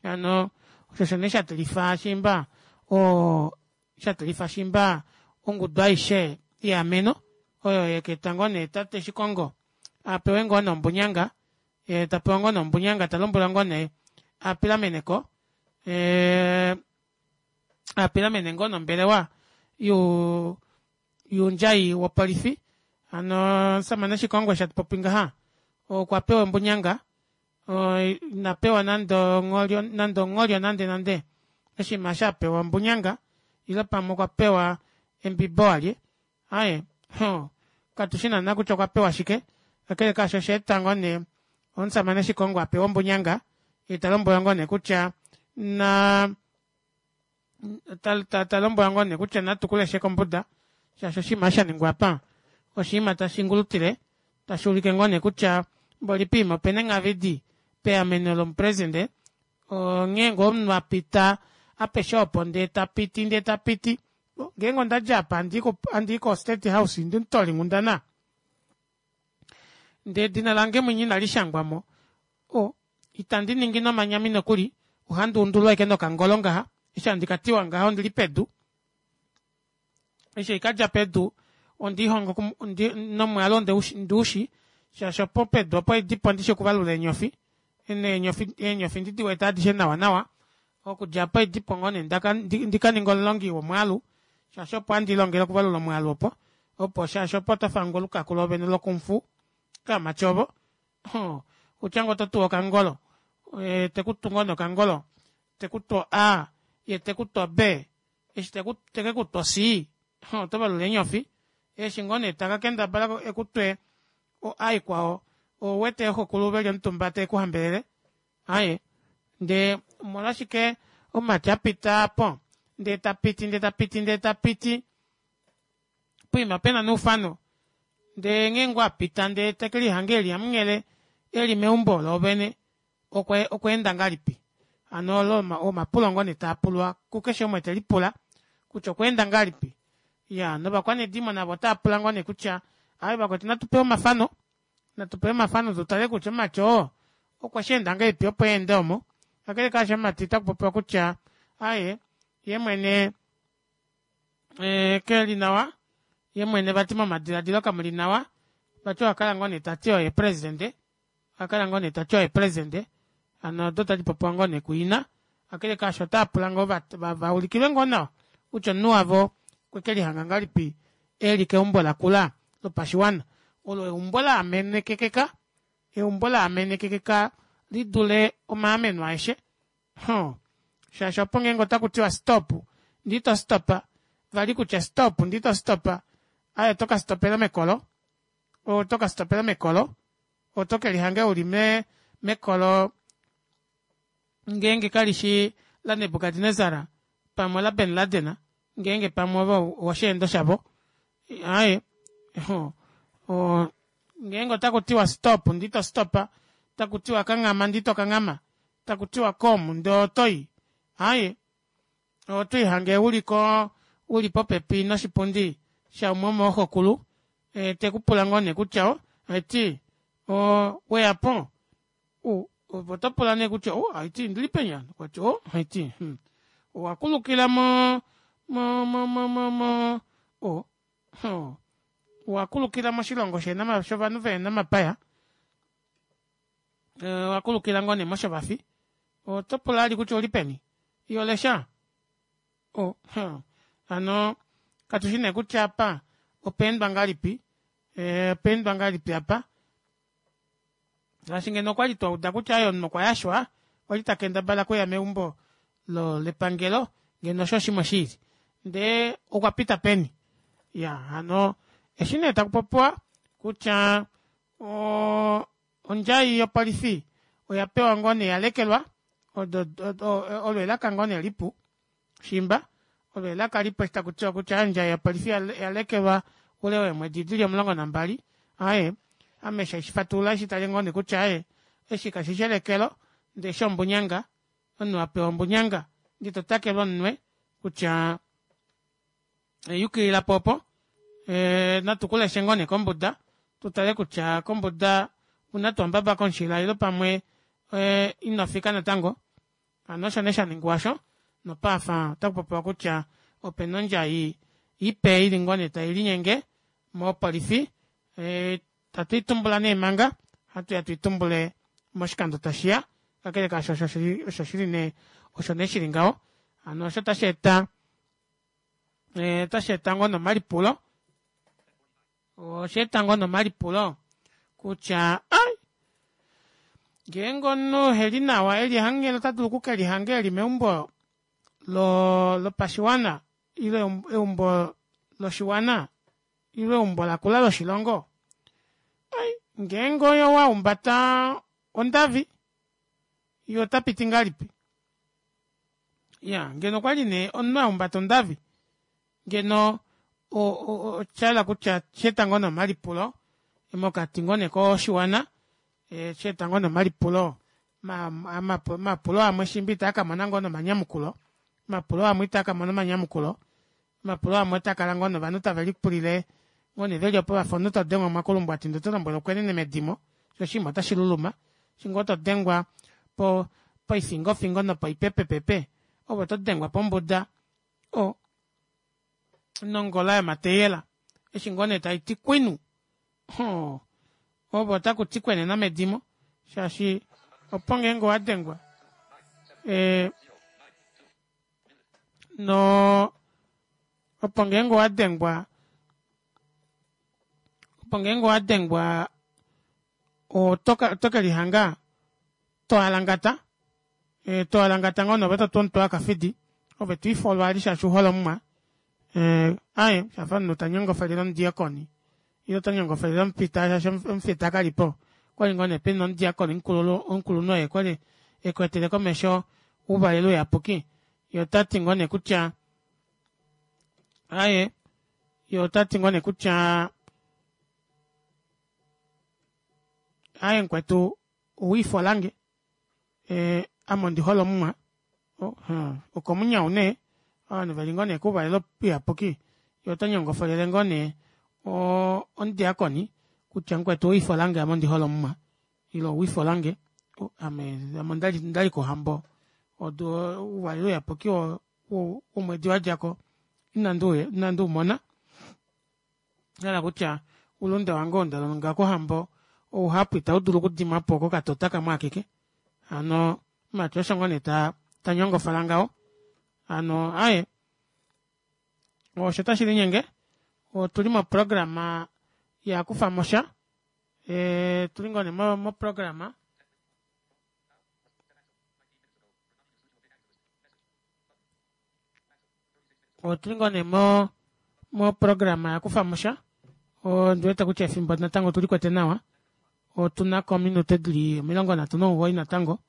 hano osho osho nee shatilifa shimba oo shatilifa shimba ongudu aishe yeameno oyo yakaeta ngoo nee tate shikongo apewe ngoo nee ombunyanga yee tapewa ngoo nee ombunyanga talombwelwa ngoo nee apilameneko apilamene ngoo nee ombelewa youndjai wopolifi hano omushamane shikongo eshi hatupopi ngaha okwa pewa ombunyanga inapewa nande ongholyo nande nande oshinima eshi apewa ombunyanga ile pamwe okwa pewa embibo walye aaye katushi naana kutya okwa pewa shike kakele kaasho oshaeta ngoo nee omushamane shikongo apewe ombunyanga yee talombwelwa ngoo nee kutya naa talombwelwa ngoo nee kutya natu kuleshe kombuda shaashi oshinima eshi shaningwa aapa oshinima tashi ngulutile tashuulike ngoo nee kutya mboli poima opena enghavidi peameno lomupresident onghee ngoo omunhu apita apeshe opo ndee tapiti ndee tapiti ngeenge ondadja apa handii ko state house ndimutoolinghundana ndee edina lange mwinya inalishangwamo itandi ningi nomanyami nokuli ohandi undulwa ashike nokangolo ngaha eshi handi katiwa ngaha ondili pedu eshi haikadja pedu ondiihonga nomwaalu ondiushi shaashi opo pedu opo haidipo ondishi okuvalula eenyofi eenyofi ndidiwete adishe nawa nawa okudja aapo haidipo ngoo nee ndikaninge omulongi womwaalu shaashi opo handi lilongele okuvalula omwaalu opo opo shaashi opo otofangwa olukaku loovene lo kung fu kamati ovo outya ngoo ototuwa okangolo tekutu ngoo nee okangolo tekutu o a yee tekutu o b eshi tekekutu o c otovalula eenyofi eshi ngoo nee taka kendabala ekutwe o a ikwao ouwete ooxekulu veli omutumba tavekuhambelele aaye ndee omolwashike omumati apita aapo ndee tapiti ndee tapiti ndee tapiti poima pena noufano ndee nghee ngoo apita ndee tekelihanga eli hamunghele eli meumbo loovene okweenda ngahelipi hano olo omapulo ngoo nee taapulwa kukeshe umwe telipula kutya okweenda ngahelipi iyaa novakwanedimo navo otaapula ngoo nee kutya aaye vakwetu natu pewe omafano natu pewe omafano tutale kutya omumati oo okwesheenda ngahelipi opo eende omo kakele kaasho omumati otakupopiwa kutya aaye yeemwene keli nawa yeemwene vati momadilaadilo kamuli nawa vati okwakala ngoo nee tati oye president okwakala ngoo nee tati oye president hano odo tadipopiwa ngoo nee kuina kakele kaasho otaapula ngoo vaulikilwe ngoo nawa kutya omunhu wavo okwekelihanga ngahelipi eli keumbo lakula lopashiwana olo eumbo laamenekekeka eumbo laamenekekeka lidule omaameno aeshe shaashi opo ngeenge otakutiwa stop ndee ito stopa vali kutya stop ndee ito stopa aaye oto kastopela mekolo oto kastopela mekolo oto kelihanga uli mekolo ngeenge kalishi la nebukadnesar pamwe ola bin laden ngeenge pamwe ove owosheendo shavo aaye ngeenge otakutiwa stop ndee ito stopa takutiwa kanghama ndee ito kanghama takutiwa kom ndee otoyi aaye otwiihange uliko uli popepi noshipundi shaumwe womooxokulu tekupula ngoo nee kutya haiti weyapo ove otopula nee kutya haiti ondili peni aano okwati haiti. Owa kulukila mo mo mo mo mo mo o oh, owa kulukila moshilongo shovanhu vehena omapaya, owa kulukila ngoo nee moshovafi, oto pula vali kutya ouli peni iho lesha? Oh, hano katushi nee kutya apa opa endwa ngahelipi, opa endwa ngahelipi apa shaashi ngeno okwali twauda kutya aaye omunhu okwa yashwa kwali takendabala okuya meumbo lepangelo ngeno osho oshimwe shiili ndee okwa pita peni iyaa hano eshi nee takupopiwa kutya ondjai yopolifi oya pewa ngoo nee yalekelwa olo elaka ngoo nee lipu shimba olo elaka lipu eshi takutiwa kutya ondjai yopolifi yalekelwa oule weemwedi dili 12 aaye ame eshi haishi fatulula ohandi shitale ngoo nee kutya aaye eshi kashishi elekelo ndee eshi ombunyanga omunhu apewa ombunyanga ndee totakelwa omunwe kutya yukililapo opo natu kuleshe ngoo nee kombuda tutale kutya kombuda una tuu ombaba komushila ile pamwe inofika natango hano osho nee shaningwa osho nopaife otakupopiwa kutya opena ondjai ipe ili ngoo nee tailinyenge mopolifi itatu itumbula nee manga ohatuya tuitumbule moshikando tashiya kakele kaasho osho shili nee osho nee shili ngaho hano osho tasheeta otasheeta ngoo nee omalipulo osheeta ngoo nee omalipulo kutya ai ngeenge omunhu eheli nawa eli hamunghele ota dulu okukelihanga eli meumbo lopashiwana ile eumbo loshiwana ile eumbo lakula loshilongo ai ngeenge oye wahumbata ondavi ye otapiti ngahelipi iyaa ngeno okwali nee omunhu ahumbata ondavi ngeno oshayela kutya oshaeta ngoo nee omalipulo mokati ngoo nee koshiwana oshaeta ngoo nee omalipulo omapulo amwe shiimba itaa kamona ngoo nee omanyamukulo omapulo amwe itaa kamona omanyamukulo omapulo amwe otaakala ngoo nee ovanhu tave lipulile ngoo nee veli opo vafa omunhu todengwa omakulumbwati ndee oto lombwelwa ukwenene medimo shoo oshinima otashi luluma eshi ngoo todengwa poifingofingo nopoipepepepe ove oto dengwa pombuda o nongola yomateyela eshi ngoo nee taiti kwinu hoo ove otakuti kwenena medimo shaashi opo ngeenge owadengwa ee no opo ngeenge owadengwa opo ngeenge owadengwa oto kelihanga toalangata toalangata ngoo nee ove totu omutwe wakafidi ove twiifolwa vali shaashi ouhole omumwa aaye shafa omunhu tanyongofelele omudiakoni ile ota nyongofelele omufita shaashi omufita kalipo okwali ngoo nee pena omudiakoni omukulunhu oye kwali ekwetele komesho ouvalelo uyapuki yee otati ngoo nee kutya aaye yee otati ngoo nee kutya aaye mukwetu owiifolange ame ondihole omumwa okomunyau nee ovanhu veli ngoo nee kouvalelo uyapuki yee ota nyongofolele ngoo nee omudiakoni kutya mukwetu owiifolange ame ondihole omumwa ile owiifolange ame ame ondali kohambo ouvalelo uyapuki womwedi wadjako inandi umona Osha hala kutya oulunde wange oo nda longa kohambo ouhapu itau dulu okudimwa po kokatota kamwe akeke. Hano mumati osho ngoo nee ta nyongofala ngaho. Hano aaye osho tashi linyenge otuli moprograma yakufamosha otuli ngoo nee moprograma. Otuli ngoo nee mo moprograma yakufamosha ondiwete kutya efimbo natango otuli kwete nawa otunako ominute dili 39 natango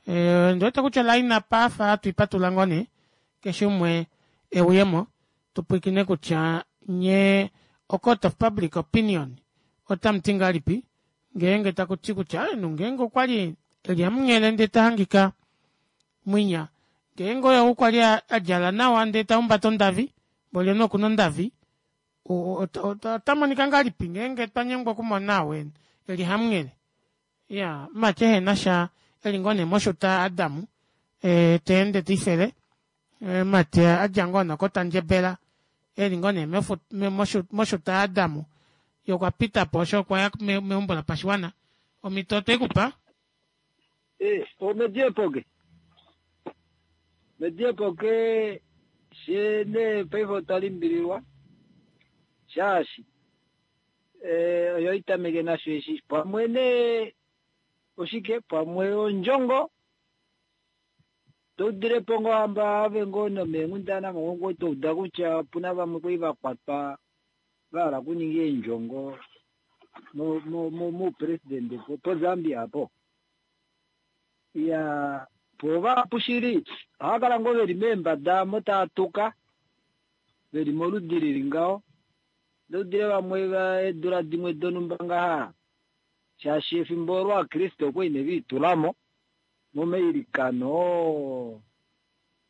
ondiwete kutya oline up afa hatu ipatulula ngoo nee keshe umwe euyemo tupwiikine kutya nyee o court of public opinion otamuti ngahelipi ngeenge takuti kutya omunhu ngeenge okwali eli hamunghele ndee tahangika mwinya ngeenge oye ou kwali adjala nawa ndee tahumbata ondavi mboli omunhu okuna ondavi ota monika ngahelipi ngeenge twanyengwa okumona ou eli hamunghele iyaa mumati ehenasha eli ngoo nee moshuta adam teende tiifele. Mati a dja ngoo nokOtandjebela e li ngoo nee moshuta yaAdamu ye okwa pita po osho okwa ya meumbo lopashiwana. Omhito otwe ku pa. Omediepoke mediepoke she nee paife otwa limbililwa shaashi oyo itameke nasho eshi pamwe nee oshike pamwe ondjongo toudilepo ngoo hamba ave ngoo nomeenghundana mo touda kutya opuna vamwe kwali vakwatwa vahala okuninga eendjongo moupresidente poZambia apo. Iya po vahapu shili ohava kala ngoo veli meembada mo tava tuka veli moludi lili ngaho. Ndoudile vamwe eedula dimwe donhumba ngaha shaashi efimbo olo Ovakriste okwali ne viitulamo momailikano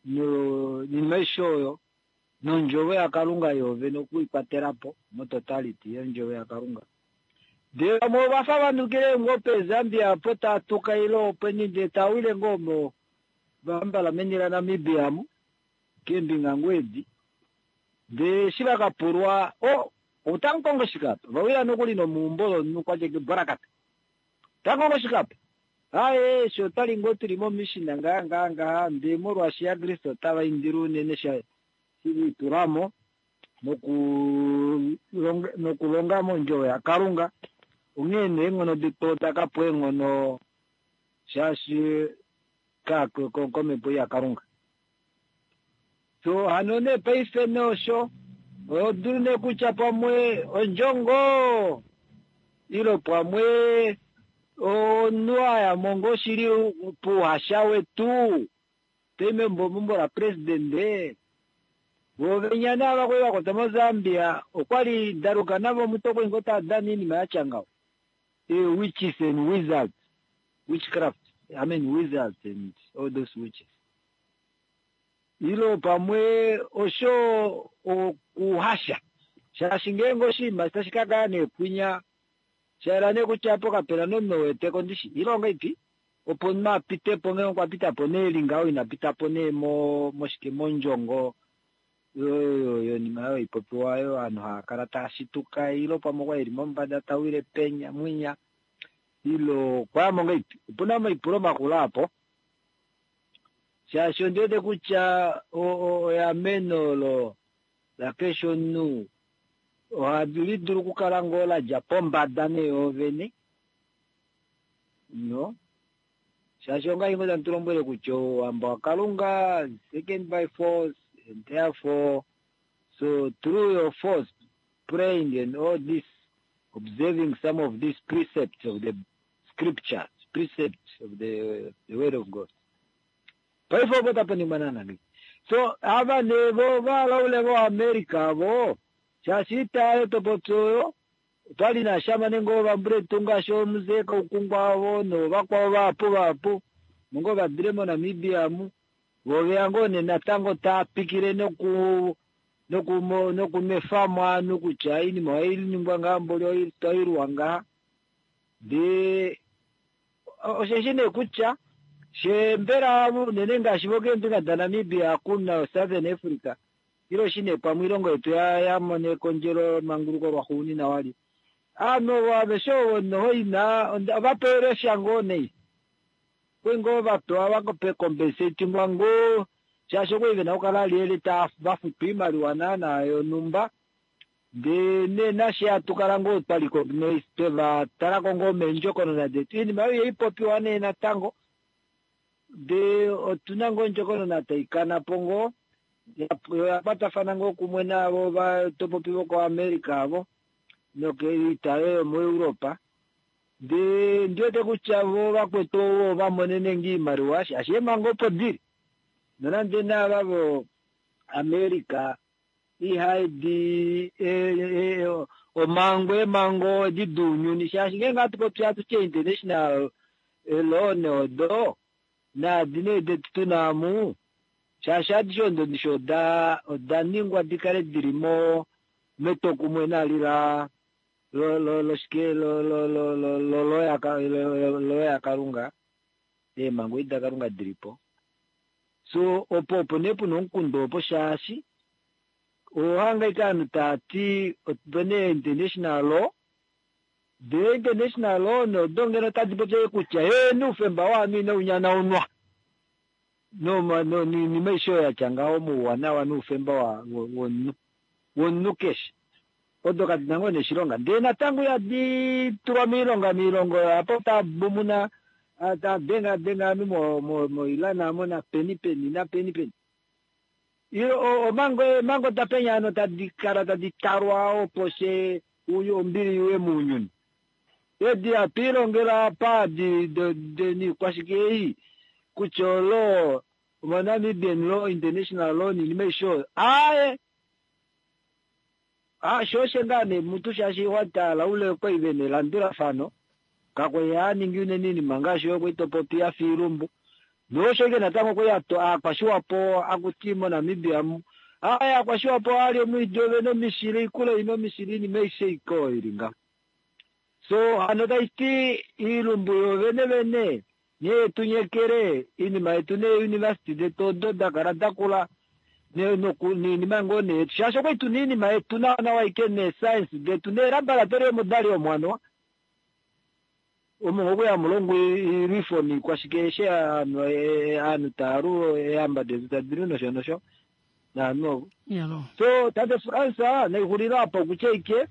noinima aishe oyo nondjovo yaKalunga yoovene okuikwatela po mototality yondjovo yaKalunga. Ndee vamwe ovafa vanukile ngoo peZambia apo tava tuka ile openi ndee tava wile ngoo mo vahambala meni laNamibia amu keembinga ngoo edi. Ndee eshi vakapulwa o otamukongo shike apa? Vawila nokuli nomeumbo lomunhu kwatya borakata. Otamukongo shike apa? Aaye eshi otwali ngoo tuli momishina ngaha ngaha ngaha ndee molwaashi Ovakriste otava indile unene shiliitulamo nokulonga mondjovo yaKalunga onghee nee eenghono detu oda kapewa eenghono shaashi komhepo yaKalunga. So hano nee paife nosho odulu nee kutya pamwe ondjongo ilo pamwe omunhu ayamo ngoo shili pouhasha wetu tai meumbo lapresidente vovenya naava kwali vakwatwa moZambia okwali daluka navo mutu okwali ngoo tava dana oinima yatya ngaho. Witches and wizards, witchcraft, I mean wizards and all those witches. Ilo pamwe osho okuhasha shaashi ngeenge oshinima tashi ka kala neekwinya shaela nee kutya apo kapena nomunhu weteko ndishi ilonga ipi opo omunhu apitepo ngeenge okwa pitapo nee ngaho ina pitapo nee moshike mondjongo yonima oyo ipopiwa oyo ovanhu hava kala tava shituka ilo pamwe okwa eli mombada tawile penya mwinya ilo okwayamo ngahelipi. Opuna omaipulo makulu apo shaashi ondi wete kutya eameno olo lakeshe omunhu ohali dulu okukala ngoo ladja pombada nee yoovene no shaashi ongahi ngoo tamu tu lombwele kutya ouhamba waKalunga second by force and therefore so through your force praying and all this observing some of these precepts of the scriptures, precepts of the word of God. Paife opo tapa ningwa naana so ava nee vo valaule vo America vo shaashi itayo topopi oyo otwali nashamane ngoo vambuletu ngaashi omuzee Kaukungwa avo novakwao vahapu vahapu mongo vadile moNamibia amu voveya ngoo nee natango taapikile nokunwefamo ovanhu kutya oinima ohainingwa ngaha mboli otoilwa ngaha. Ndee osheshi nee kutya shembela unene ngaashi vokeembinga daNamibia kuna Southern Africa ilo shi nee pamwe oilongo yetu yamona ekondjelo manguluko lwaxuuninwa wali ovanhu aveshe ovo nohoina ovapewele sha ngoo nei kwali ngoo vapewa vakompensatingwa ngoo shaashi okwali vena okukala lyeli vafutwa oimaliwa naana yonhumba ndee nee nashe hatukala ngoo twa recognize twevatalako ngoo meendjokonona detu oinima oyo ihaipopiwa nee natango ndee otuna ngoo ondjokonona taikana po ngoo oya kwatafana ngoo kumwe naavo vatopopi vokoAmerica avo nokoitayo yomoEuropa ndee ndiwete kutya vo vakwetu ovo vamonene ngoo oimaliwa shaashi eemhango opo dili nonande naava vo America ihaidi omhango eemhango edi dounyuni shaashi ngeenge hatu popi hatuti international law odo naadi nee detu tuna amu shaashi adishe odo ndishi oda ningwa dikale dili metwokumwe nali la loshike lo yaKalunga eemhango edi daKalunga dilipo. So opo opo nee puna omukundu opo shaashi ohanga ike aanhu taati opena international law ndee international law nodo ngeno otadi popi ashike kutya heeno oufemba wovanhu inau nyanaunwa noinima aishe oyo yatya ngaho mouwanawa noufemba womunhu womunhu keshe odo kadina ngoo nee oshilonga ndee natango ihadi tulwa moilonga moilongo opo tabumuna tadenga denga ovanhu moIran amo napeni peni napeni peni omhango eemhango dapenya hano tadi kala tadi talwa opo she ombili iuye mounyuni edi hatu ilongela apa niikwashike ei kutya olo omoNamibian law international law niinima aishe oyo aaye sho osho ngaa nee mutu shaashi watala ule okwali vena elandulafano kakwali haaningi unene iinima ngaashi oyo kwali topopi yafa iilumbu nosho ike natango kwali aakwashiwapo akuti moNamibia mu aaye aakwashiwapo ohali omwiidi ovena omishila oikula ina omishila iinima aishe ike oyo ili ngaho so hano taiti iilumbu yovene vene nghee tunyekele iinima yetu neeuniversity detu odo dakala dakula niinima ngoo nee yetu shaashi okwali tuna iinima yetu nawa nawa ike neescience detu neelaboratory omo dali omwanoa omo okwali hamu longwa iilwifo niikwashike eshe aanhu taalu eehamba detu tadilu nosho nosho naanhu ovo so tate France naixulile apa okutya ike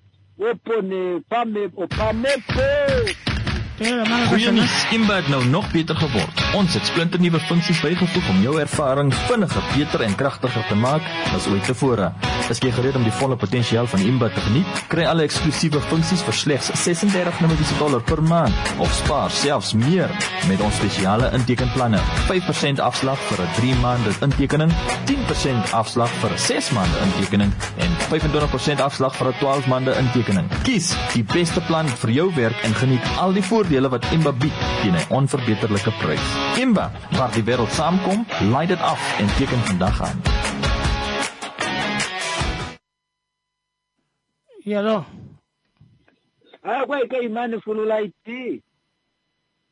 opo nee opamepo. Goeie nuus, Imba het nou nog beter geword. Ons het splinternuwe funksies bygevoeg om jou ervaring vinniger, beter en kragtiger te maak as ooit tevore. Is jy gereed om die volle potensiaal van Imba te geniet? Kry alle eksklusiewe funksies vir slegs $36 per maand of spaar selfs meer met ons spesiale intekenplanne. 5% afslag vir 'n 3 maande intekening, 10% afslag vir 'n 6 maande intekening en 25% afslag vir 'n 12 maande intekening. Kies die beste plan vir jou werk en geniet al die voordele wat Imba bied teen 'n onverbeterlike prys. Imba, waar die wêreld saamkom, laai dit af en teken vandag aan. Yalo. Akwaika imani fululaiti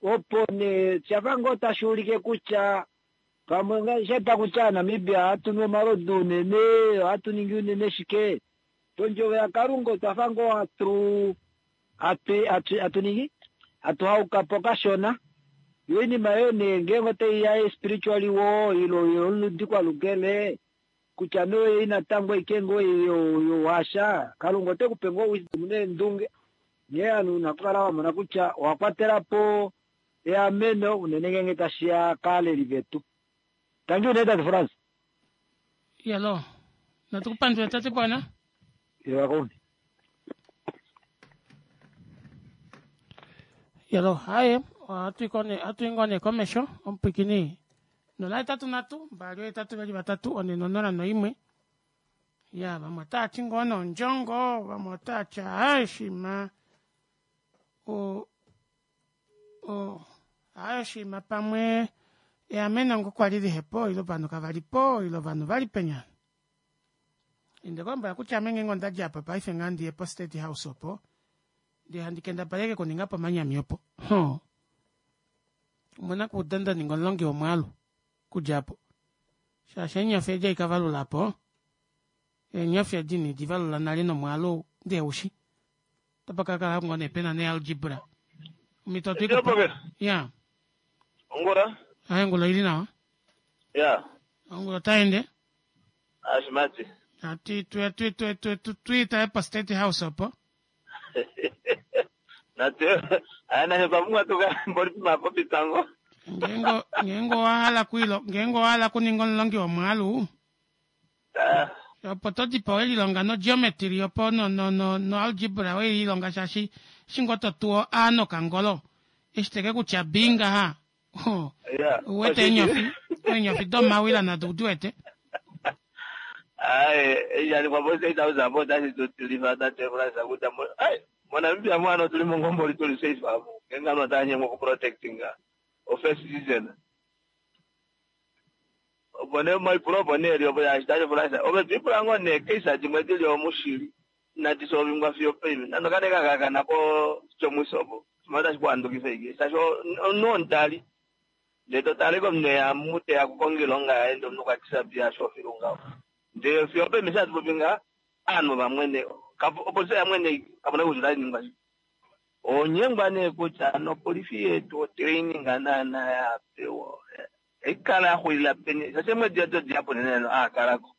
opo ne shafa ngoo tashi ulike kutya pamwe sheta kutya Namibia ohatu nu omalodu unene ohatu ningi unene shike pondjovo yaKalunga otwafa ngoo hatu hatu ningi hatu haukapo kashona yo iinima yoye nee ngeenge otaiya spiritually wo ilo yoludi kwalukele kutya noyei natango ike ngoo yowasha Kalunga ote kupe ngoo wisdom neendunge nghee ovanhu una okukala wamona kutya owa kwatelapo eameno unene ngeenge tashiya kaaleli vetu. Tangi unene tate France. Yalo. Natukupandula tate Bwana. Yewakoni. Yalo, haye, ohatu i ngoo nee komesho, omupwikini 083 2 8 2 4 0 1. Ya, vamwe otava ti ngoo nondjongo, vamwe otava ti aaye shima o o aaye shima pamwe eameno ngoo kwali lihepo ile ovanhu kavali po ile ovanhu vali penya. Inde kombwela kutya ame ngeenge onda dja apa paife ngaa ndiye po State House opo ndee handi kendabala ashike okuninga po omanyami opo. Hoo. Omuna kuuda nda ninga omulongi womwaalu okudja apo. Shaashi eenyofi edi haikavalula apo, eenyofi edi inidi valula nale nomwaalu ndee ushi. Otapa ka kala ngoo nee pena nealgebra. Omhito otwe i kupa. Ya. Ongula. Aye ongula oili nawa. Ya. Ongula otai ende. Ashimati. Ati twe twe twe twe twe twe po State House opo. Natu aya nanye otwa pumbwa tuka mboli pomapopi tango. Ngeenge ngeenge owa hala kuilo ngeenge owa hala okuninga omulongi womwaalu opo to dipa we lilonga no geometry opo no no no no algebra we lilonga shaashi eshi ngoo to tu o a nokangolo eshi teke kutya b ngaha uwete eenyofi eenyofi domawila nado udi wete. Aye, eshi po State House apo otashi tu tilifa tate Frans kutya ai moNamibia mu ano otuli mo ngoo mboli tuli safe amu ngeenge ovanhu otava nyengwa okuprotectinga ofirst citizen. Opo nee omaipulo opo nee eli opo shaashi tate Frans ove to ipula ngoo nee case dimwe dili omushili inadi solvingwa fiyo opaife nande okane kakakana ko Tjomuise opo oshimaliwa otashi ku handukifa ashike shaashi omunhu womudali. Ndee to tale komunhu eya mu teya kukonga oilonga yaye ndee omunhu okwa disappear asho filu ngaho. Ndee fiyo openi eshi hatu popi ngaha, ovanhu vamwene, opolifi oya mwene ashike, kapuna kutya otai ningwa shike. Onyengwa nee kutya nopolifi yetu otraining naana ya pewa ohaikala kala ya xulila peni, shaashi eemwedi odo dihapu unene a kalako.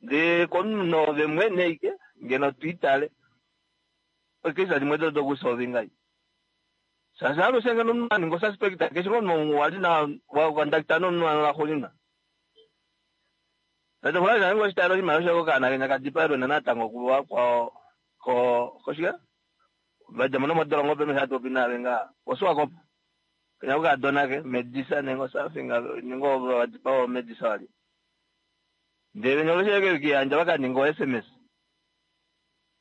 Ndee komunhu noove mwene ashike ngeno twiitale oikesha dimwe do dokusolvinga shaashi alushe ngeno omunhu a ninga osuspect keshe ngoo omunhu wali na wa contacta nomunhu ano laxuuninwa. Tate Fulayi naye ngoo shitale oshimaliwa shoye kokaana kenya ka dipaelwe natango kuvakwao ko koshike vadja mo nomodolongo peme hatu popi naave ngaa koSwakop kenya kokadona ke Medisa nenge something nenge ovo vadipawa Medisa wali ndele venya oveshe ke kiyandja vakaninga o SMS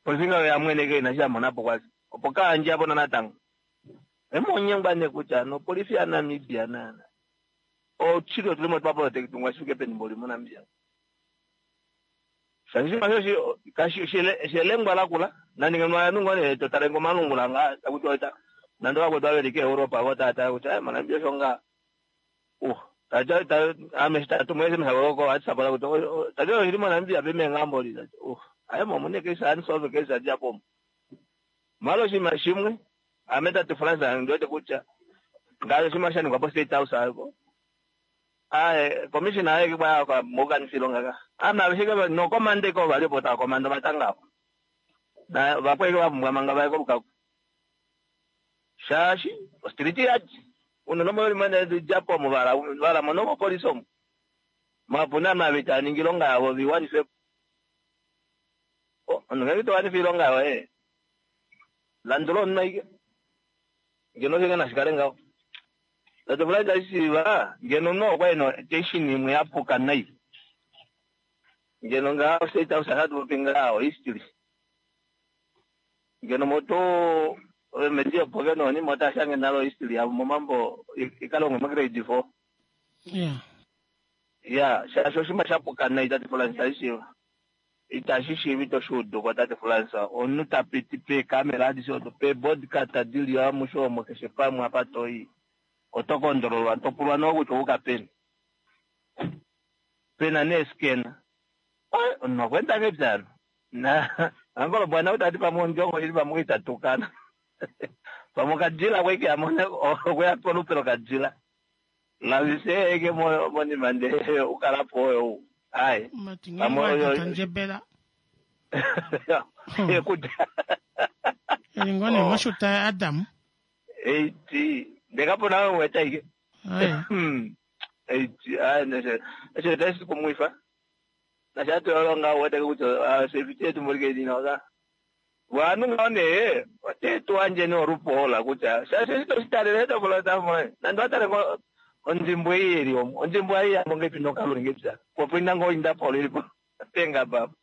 polifi ngaho yamwene ke ina sha monapo kwali opo kaandja apo natango emonyengwa ne kutya nopolifi yaNamibia nana ochili otuli mo twaprotectungwa shifike peni mboli moNamibia. Shaashi shelengwa lakula nandinge nwayanungo ne totale ngomalungula nga takuti oita nande vakwetu vaveli keEuropa vo tata kutya moNamibia osho nga ame tatumu SMS ko WhatsApp kuti tati oshili moNamibia pemengamboli aye momune kesi anisolve kesi adjapo malo oshinima shimwe ame tate France ndiwete kutya ngaashi oshinima sha ningwa po State House apo aye commissioner aye kwa mokanifila ilonga ka ame aveshe nokomanda iko vali opo tava komanda omatanga avo na vakweke vapumbwa manga vaye kolukaku shaashi ostriti yadi unene omo limwe djapo omo vala mo nomopolisi omo mapuna ame ave tava ningi ilonga yavo viwanifepo omunhu ngenge towanifa ilonga yoye landula omunhu aike ngeno osho nashikale ngaho. Tate Fulayi tashiiva ngeno omunhu okwa ena tension imwe yapuka nai ngeno ngaho State House hatu popi ngaho history ngeno moto medi opo ke nonima ota shange nalo history yavo momambo ikalongwe mo grade 4. Yeah. Ya, shaashi oshinima shapuka nai tate Fulayi tashiiva itashi shiivi toshuuduko tate Fulayi omunhu tapiti peekamera adishe odo peebodcast dili amushe omo keshe pamwe apa toi oto kondololwa topulwa noo kutya ouka peni pena neeskena omunhu okweenda ngepyalo na angolo bwana utati pamwe ondjongo ili pamwe itatukana pamwe okadjila kweke amone okweya polupe lokadjila lavise eke monima ndee ukalapo oyo ai pamwe tandjebela kutya elingone moshuta ya Adam eiti ndekapona weta ike eiti ai neshe eshe tesi kumwifa nashatolonga wete kutya safety yetu mulike dina vanhu ngaho nee otetuwandje norupola kutya shaashi toshitalele tokolota nande watale ondjimbo ei ili omo ondjimbo ei yambo ngepi nokaluli ngepya popwina ngo indapolo ilipo penga papo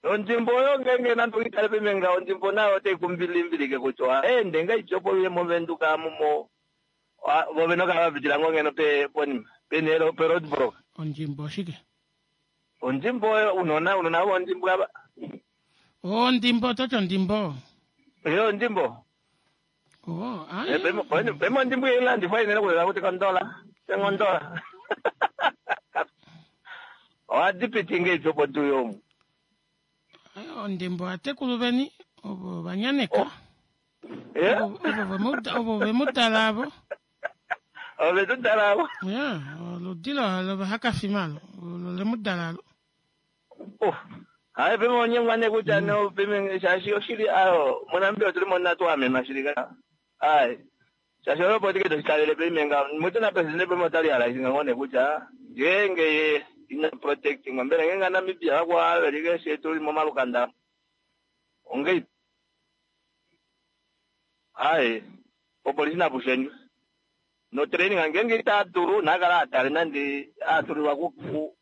ondjimbo oyo ngenge nande uitale pemenga ondjimbo nayo otai kumbilimbilike kutya ende ngaityopo uye movenduka mumo vove nokala vapitila ngo ngeno pe ponima penelo pe roadblock ondjimbo shike ondjimbo oyo unona unona vo ondjimbo ava ondimbo toti ondimbo yo ondjimbo oh ai pemo ondjimbo ilandifwa inene kulela kuti kondola tengondola ohadipiti ngeityopo tuu yomu ondimbo atekulu veni ovo vanyaneka ovo vemudala avo ove tudala avo ya oludi lovahakafimalo lemudala alo hayi peme onyengwa ne kutya no peme shaashi oshili ayo moNamibia otuli mo natu amenwa shili ka ayi shaashi oyo politiki toshitalele peme mutu na presidente peme otali realizinga ngoo ne kutya ngeenge ye ina protecting mbela ngeenge Namibia vakwa velike she tuli momalukanda ongei ayi opolisi napushendjwe no training ngenge ita dulu nakala atale nande atulilwa ku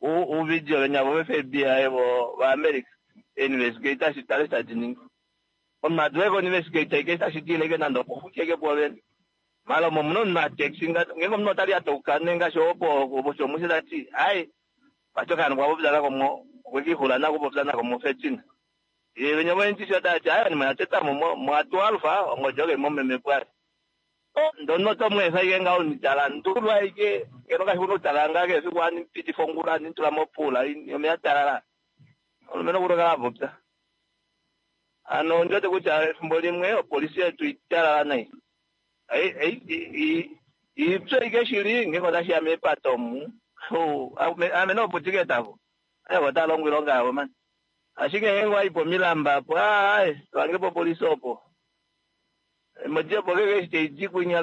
uvideo venya vo FBI vo vaAmerica investigate shitale tadiningi omunhu aduleko investigate ike tashidileke nande opo futyeke povene mala omo muna omunhu ataxi ngenge omunhu otali atauka nengashi opo oshomushe tati ayi vatokana kwapopya nako mo okwekihula nako popya nako mo 13 ye venya voentisi tati ayi anima yatetamo mwa 12 ongodjoke momeme pwali. Ndono oto mu efa ike ngaho nitalandulwa ike ngeno kashi kuna utalala ngaa kehe efiku ohandi pitifa ongula handi tula mopuula omeya talala. Omulumenhu okuna okukala a popya. Hano ondi wete kutya efimbo limwe opolisi yetu italala nai. Ipye ike shili ngeenge otashi ya meepate omu. Ame nooputike tavo. Evo otava longo oilonga yavo mani. Ashike ngeenge owa i pomilamba apo, aaye, to hange popolisi opo. Emodi opo ngenge eshi tai di kwinya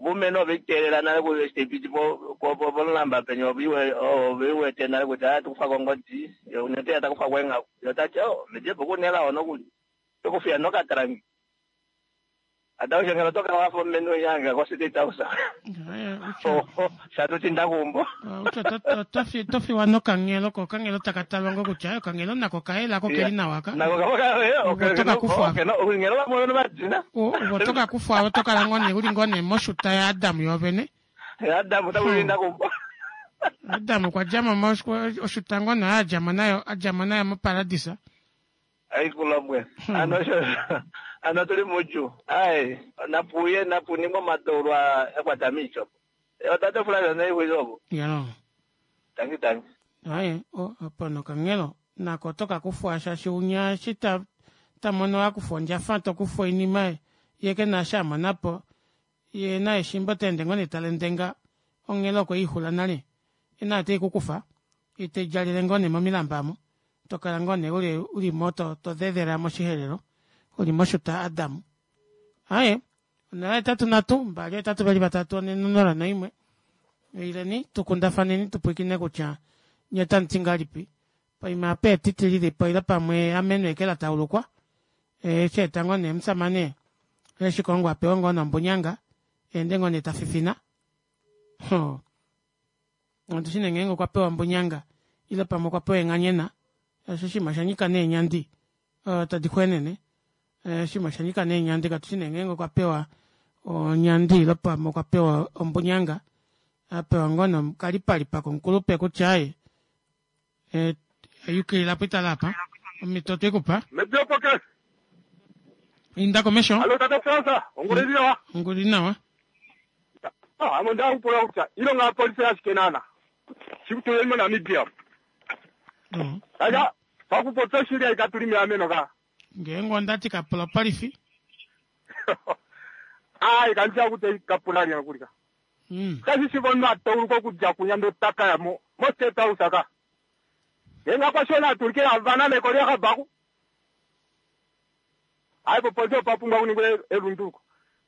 vumene ove teelela nale ku eshi tai piti po pomulamba penya ove wete nale kutya aa tukufa kongodi ye unene ya takufa kweenghaku ye otati oh medi opo kuna elao nokuli tokufiya nokatalangi ata usho ngeno oto kala wafa omumenu winya ko state house shatutinda kuumbo to fiwa nokanghelo ko okanghelo taka talwa ngo kutya okanghelo nako kayela ko keli nawa ka oto ka kufwa oto ka kufwa oto kala ngoo nee uli ngoo nee moshuta yaAdam yoovene Adam ota kuumbo Adam okwa dja mo oshuta ngoo nee a dja mo nayo a dja mo nayo moparadisa Aikulombwe. Ano osho ano tuli muudjuu. Ai, napu uye napu ningwe omadeulo a kwata miiti opo. Otate Flavia naixwile opo. Ya. Tangi tangi. Aye, opo nokanghelo nako oto ka kufwa shaashi unya eshi ta ta mono a kufwa ondjafa to kufwa oinima ye ke na eshi a mona po ye naye shimba ota ende ngoo nee ta lendenga onghelo okwe i xula nale ye naye ote i ku kufa ye te djalele ngoo nee momilamba omo to kala ngoo nee uli uli mo to to dhedhela moshihelelo uli moshuta Adam. Aye, 083 2 8 2 4 0 1 Ileni tu kundafaneni tu pwilikine kutya nye otamu ti ngahelipi poima apa etiti lili po ile pamwe eameno eke la taulukwa eshi eta ngoo nee omusamane Shikongo a pewe ngoo nombunyanga ende ngoo nee ta fifina. Hoo. Otu shi nee ngeenge okwa pewa ombunyanga ile pamwe okwa pewa enghanyena osho oshinima osha nyika neenyandi tadi xwenene oshinima osha nyika neenyandi katu shi nee ngeenge okwa pewa onyandi ile pamwe okwa pewa ombunyanga a pewa ngoo nokalipalipa komukulupe kutya aye yukilila po itala apa omhito otwe ku pa Mediopoke. inda komesho Alo tata Fransa, onguli nawa. onguli nawa Ah, amo ndakupula kutya ilonga ya polisi yashike nana. Shikutuleni moNamibia. Aya, pakupopya oshili ayi katuli meameno ka. Ngeenge onda ti kapula opolifi. Ayi kandiya kutya kapula lya kulika. Kashi shi omunhu a tauluka okudja kunya ndele ota ka ya mo mo-State House ka. Ngeenge akwashiwana a tulike avana neko lya Kabaku. Ayi popolifi opa pumbwa kuningwe elunduluko.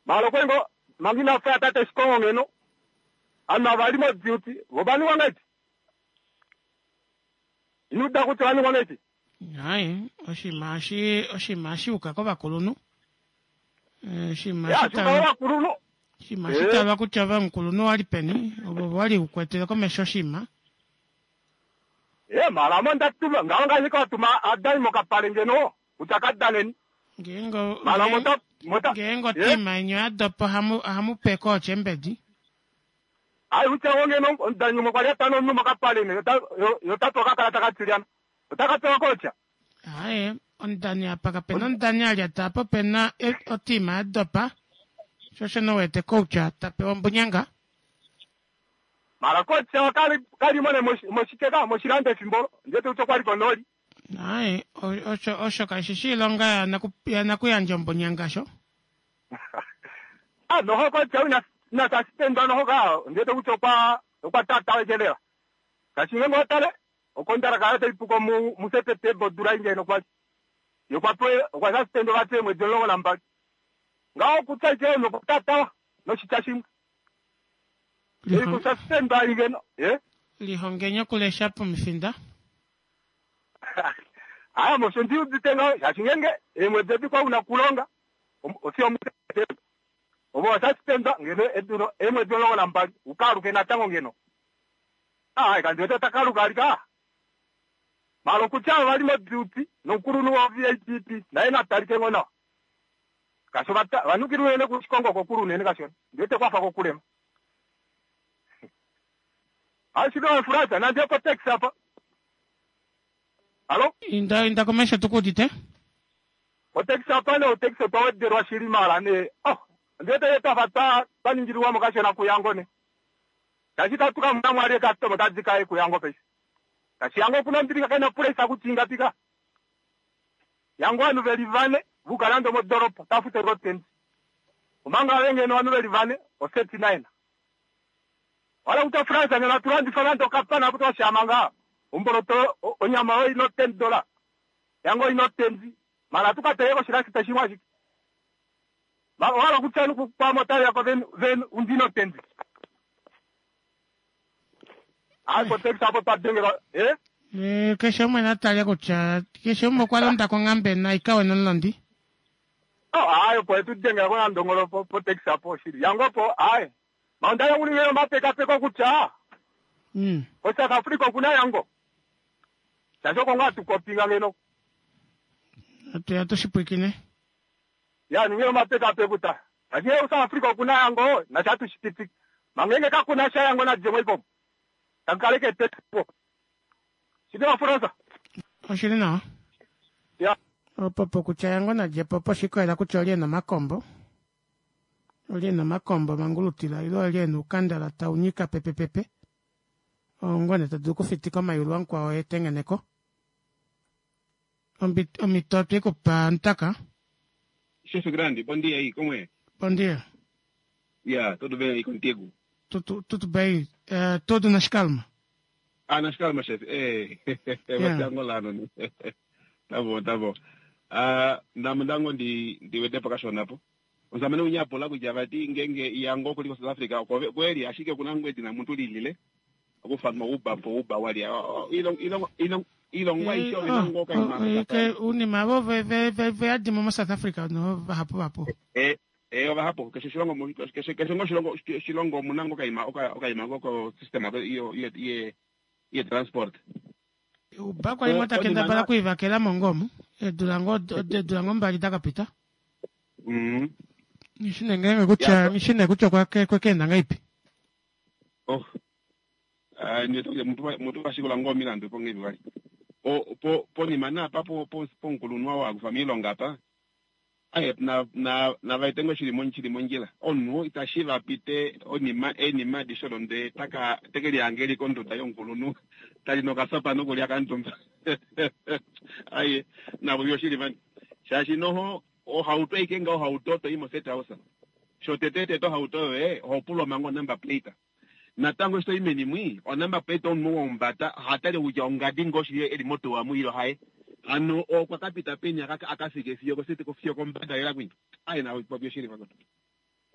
Mara okwe ngo manga ina fya tate Shikongo ngeno. Ovanhu ava li mo-duty vo va ningwa ngahelipi? Ino uda kutya ova ningwa ngahelipi? Aye, oshinima oshi oshinima oshi yuka kovakulunhu. Oshinima Ya, shuka kovakulunhu. Oshinima oshi talwa kutya ove omukulunhu wali peni, ovo wali u kwetele komesho oshinima. Ye, mara ame onda tuma, ngaho ngaashi kwa tuma adani mokapale ngeno, kutya ka daneni. Ngeenge Mara mota, mota, ngeenge otima yeni oya dopa ohamu ohamu pe kooche mbedi. Ai, kutya ngo ngeno omudani umwe kwa li a tana omunhu mokapale ne, yo ota pewa okakalata katilyana. Ota ka pewa koocha. Aaye, omudani apa kapena omudani a lyata apa opena otima ya dopa, sho osho nee u wete koucha ta pewa ombunyanga. Mara koocha ka li mo nee moshike ka, moshilando efimbo olo, ndi wete kutya okwa li konooli. Aaye, osho osho kashi shi iilonga yanakuyandja ombunyanga sho. Ah, noho koocha ina ina sasipendwa noho ka, ndi wete kutya okwa okwa tatawa lela. Kashi ngeenge owa tale, okondalaka yaye otai puko mu muSeptemba odula ei ngeno kwali. Ye okwa pewa okwa sasipendwa vati eemwedi 12. Ngaho okutya ashike omunhu okwa tatawa noshitya shimwe. Ei kusasipendwa ei ngeno, ye. Lihongeni okulesha pomifinda. Aa, mosho ndi udite ngaho, shaashi ngeenge eemwedi edi kwa una okulonga, ofiyo muSeptemba. Ove owa sasipendwa ngeno edulo eemwedi 12, u ka aluke natango ngeno. Aa, kandi wete ota ka aluka vali ka. Mara okutya ova li moduty nomukulunhu woVAPP naye na talike ngoo nawa. Kashi ova va nukile unene kuShikongo kokule unene kashona. Ndi wete kwafa kokulema. Ashike Frans, nandi ye kotaxi apa. Hallo? Inda inda komesho tu ku udite. Kotaxi apa nee otaxi otwa wedelwa shili mara nee oh. Ondiwete twafa twa ningililwamo kashona kuYango ne. Shaashi itatu ka mona mo ali eekastoma tadi ka ye kuYango paife. Shaashi Yango okuna ombilixa kena opulaisa kutya ingapi ka. Yango ovanhu veli vane vuka nande omodoropa otava futu ashike otendi. Omanga ave ngeno ovanhu veli vane o 39. Wala kutya France ngeno atu landifa nande okapana apo twashaama ngaa omboloto onyama oyo ina o $10 yango ina otendi mara atu ka teleka oshilasita shimwe ashike. Owa hala kutya kwaame otave ko ven undina otendi. Ai potekisa apo twa dengelwa eh? Eh, keshe umwe na tale kutya keshe umwe okwa londa konghambe na ikawe nomulondi. Oh, ai opo etu dengela ko nandongolo po potekisa apo shili. Yango po ai. Maunda ya ulinge mapekapeko kutya ko South Africa okuna yango. Shaashi oko ngaa tukopinga ngeno. Atuya tushipwikine. Ya ninge omapekapeko ta. Shaashi ngee South Africa okuna yango nasha atushipiti. Mangenge kakuna sha yango na djemo ipo. Takaleke tepo. Shili wa Fransa. Oshili nawa. Ya. Opo po kutya yango na djepo po shikoela kutya oli ena omakombo. Oli ena omakombo mangulutila ilo oli ena uukandala tau nyika pepepepe. Ongone ta dulu okufitika omayulu amukwao etengeneko. Omhito otwe ku pa Ntaka. Chefe grande, bom dia aí, como é? Bom dia. Yeah, tudo bem aí contigo? Tudo, tudo bem, tudo nas calma. Ah, nas calma, chefe. É, yeah. Você é angolano, né? Tá bom, tá bom. Ah, ndamundango ndi ndiwete pakashona po. Uzamene unyapola kutya vati ngenge yango kuliko South Africa kweli ashike kuna ngwedi na muntu lilile okufanwa uba po uba wali ilongo ilongo ilongwa isho ilongo ka ima unima avo ve ve ve ve adimo mo South Africa no vahapu vapo. Eh eh ovahapu keshe shilongo keshe keshe ngo shilongo shilongo munango kaima oka okaima ngoko system iyo ye ye transport. Uba kwali ngo takendabala kuivakela mongomu eedula ngo eedula ngo mbali dakapita. Ngishine ngenge kutya ngishine kutya kwake kwekenda ngaipi. Oh. Ah, nditoke mutu vashikola ngo milandu po ngevi wali. O po ponima na pa po po ponkulunwa wa kufa miilonga apa. Aye na na na vaitengo shili mon shili mondjila. Omunhu itashi va pite onima enima adishe odo ndee taka teke lihange eli konduda yomukulunhu tali nokasopa nokulya kamutumba. Aye navo vyoshili vani. Shaashi noho ohauto aike nga ohauto to i mo set house. Shotete tete ohauto yoye oho pulwa manga onumber plate. Natango eshi to i meni mwi, onumber plate omunhu womumbata oha tale kutya ongadi ngoo shili eli motuwa mu ile haye. Hano okwa ka pita peni aka aka fike fiyo ko fiyo kombada lela kwinya. Aye na popi oshili vakwetu.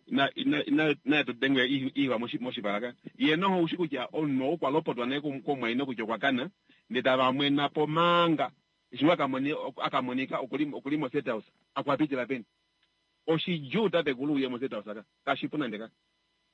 Ina ina ina ina tu dengwe iwa moshipala ka. Ye noho ushi kutya omunhu okwa lopotwa naye komumwaina kutya okwa kana, ndee tava mwena po manga. Eshi ngoo aka monika okuli okuli mo set house. Akwa pitila peni? Oshidjuu tatekulu uye mo set house aka. Kashipu nande ka.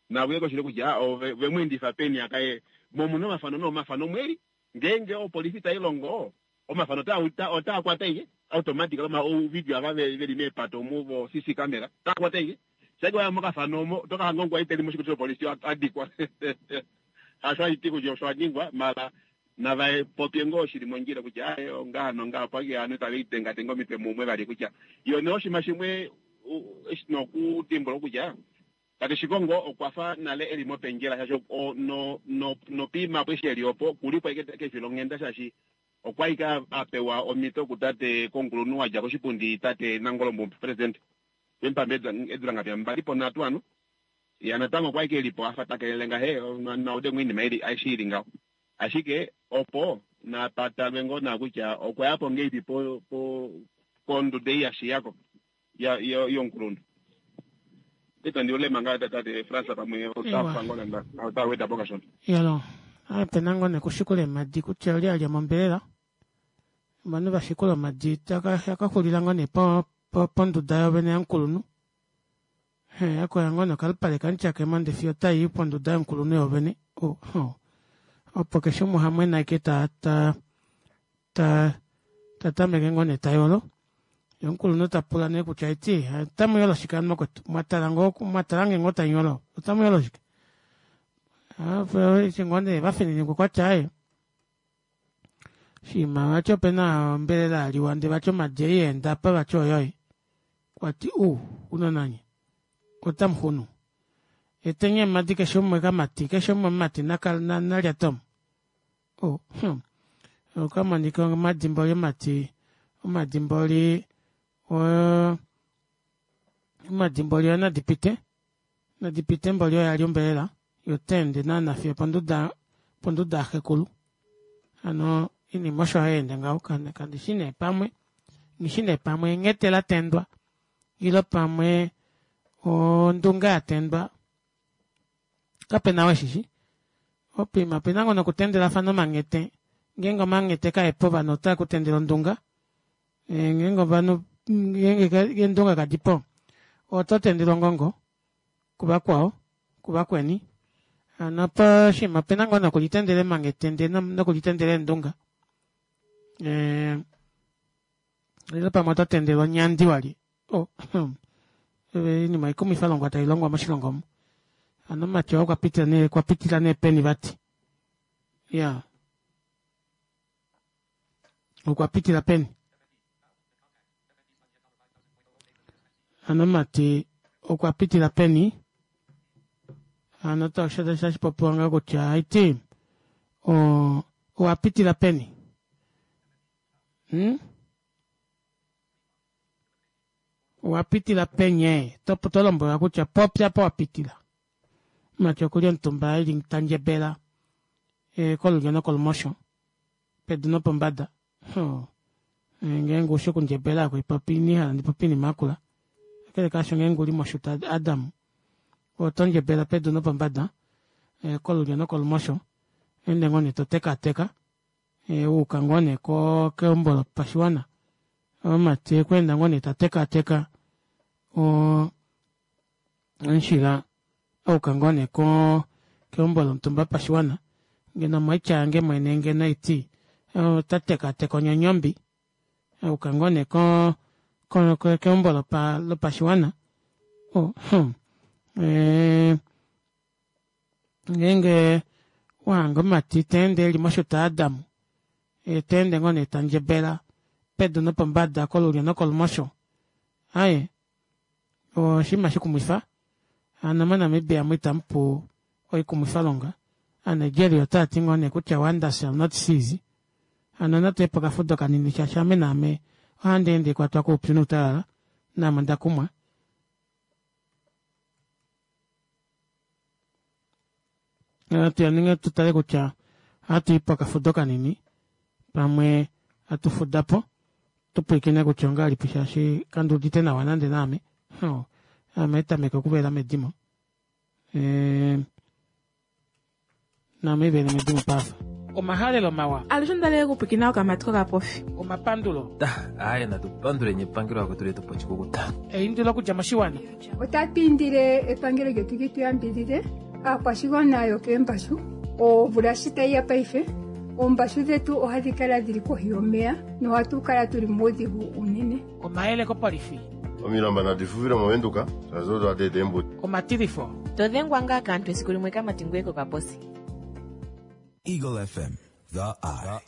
Nakuye koshili kutya ove ve mu endifa peni aka ye mo omuna omafano no omafano omweli ngeenge opolifi tai longo omafano otaa otaa kwata ike automatically oma ouvidio ava veli meepato omu vo CC camera otaa kwata ike shake waya mokafano omo oto ka hanga omukwaita eli moshikutu shopolifi adikwa hasho ashiti kutya osho aningwa mala nava popye ngoo shili mondjila kutya aye ongaha nongaha opo ashike ovanhu tave lidengadenga omitwe mumwe vali kutya yo nee oshinima shimwe eshi nokudimbuluka kutya Tate Shikongo okwa fa nale e li mopendjela shaashi no, no, nopiima apo eshi e li opo oku li po ashike kefilonghenda shaashi okwa li a pewa omhito kutate komukulunhu wa dja koshipundi tate Nangolo Mbumba, presidente, Vempamba eedula ngapi mbali po nhatu hano. Ya natango okwa li e li po a fa ta kelele ngahe naude ngoo oinima ili aishe i li ngaho. Ashike opo napa talwe ngoo nawa kutya okwa ya po ngeipi po, po konduda ei ya shiya ko. Ya yo yomukulunhu. Itandi ulema ngaa tate Frans pamwe ota fa ngoo nande ota weda po kashona. Yalo, ope na ngoo nekushikula eemhadi kutya oli a lya mombelela. Ovanhu va shikula omadi taka xulila ngoo nee ponduda yovene yamukulunhu. He, akoya ngoo nokalupale kamutyakemo nde fiyo tai ponduda yomukulunhu yovene. Opo keshe umwe oha mwena ashike ta ta ta ta tameke ngoo nee ta yolo. Ye omukulunhu ta pula nee kutya eti otamu yolo shike ano makwetu? Mwa tala ngoo mwa tala nge ngoo tamu yolo? Otamu yolo shike? Eshi ngoo nee va fininikwa kwa tya aye shima vati ope na ombelela ya liwa ndee vati omadi ei yeenda apa vati oyoye. Kwa ti u unonanye. Otamu xunu. Eteni eemhadi keshe umwe kamati, keshe umwe omumati nalyate omu. Oh, hmm. Okwa monika omadimboli omati, omadimboli o, omadimboli oyo nadi pite. Nadi pite mboli oyo ya li ombelela, yo ta ende naana fiyo ponduda, ponduda yaxekulu. Hano iinima osho hayi ende ngaho, kandi shi nee pamwe, nghi shi nee pamwe enghete la tendwa ile pamwe ondunga ya tendwa kape na weshishi opima opena ngoo nokutendelafana omanghete ngeenge omanghete kaepo ovanhu otava kutendele ondunga eh, ngeenge ovanhu ngeenge eendunga kadipo oto tendele ongongo kuvakwao kuvakweni hano poshinima opena ngoo nokulitendela emanghete ndee nokulitendela eendunga eh, Lelo pamwe oto tendelwa onyandi wali. Oh, iinima ikumwifa longwa tai longwa moshilongo omu. Ano omumati oo okwa pitila nee, okwa pitila nee peni vati. Ya. Okwa pitila peni. Ano omumati okwa pitila peni. Ano tashi popiwa ngaa kutya haiti o owa pitila peni. Hmm? Owa pitila penye? To to lombwelwa kutya popya apa wa pitila. Mati okuli omutumba eli ta ndjebela e, kolulyo nokolumosho pedu nopombada. Ho. E, ngeenge ushi okundjebela ako ipopi ini hala ndi popi inima akula. Kakele kaasho ngeenge uli moshuta Adam oto ndjebela pedu nopombada e, kolulyo nokolumosho ende ngoo nee to tekaateka wu uka ngoo nee keumbo lopashiwana omumati okweenda ngoo nee ta tekaateka omushila auka ngoo nee keumbo lomutumba wopashiwana ngeno moitya yange mwene ngeno haiti ota tekaateka onyonyombi auka ngoo nee keumbo lopashiwana Ngeenge wa hanga omumati ta ende e li moshuta yaAdam, ye ta ende ngoo nee ta ndjebela pedu nopombada, kolulyo nokolumosho, aye, oshinima shikumwifa. Hano moNamibia mu itamu pu oikumwifalonga. AaNigeria otava ti ngoo nee kutya wonders shall not cease. Hano natu ye pokafudo kanini shaashi ame naame ohandi ende kwatwa koupyu noutalala, naame onda kumwa. Natu yaninge tu tale kutya ohatu yi pokafudo kanini pamwe hatu fuda po tu pwilikine kutya ongahelipi shaashi kandi udite nawa nande naame ame tameke okuvela medimo eh, Naame vene medimo paafa. Omahalelo mawa. Alushe onda lela okupwikina okamati kokapofi. Omapandulo. Aaye natu panduleni epangelo akwetu letu po oshikukuta. Eindilo okudja moshiwana. Otatu indile epangelo lyetu li tu yambidhidhe aakwashigwana yokeembashu. Omvula shi tayi ya paife, oombashu dhetu ohadhi kala dhili kohi yomeya nohatu kala tuli muudhigu uunene. Omayele kopolifi. Omilamba nadi fuvile mOvenduka, shaashi odo hadi eta eembudi. Omatilifo. To dhengwa ngaa kaantu esiku limwe kamati ngoye kokaposi. Eagle FM, the eye.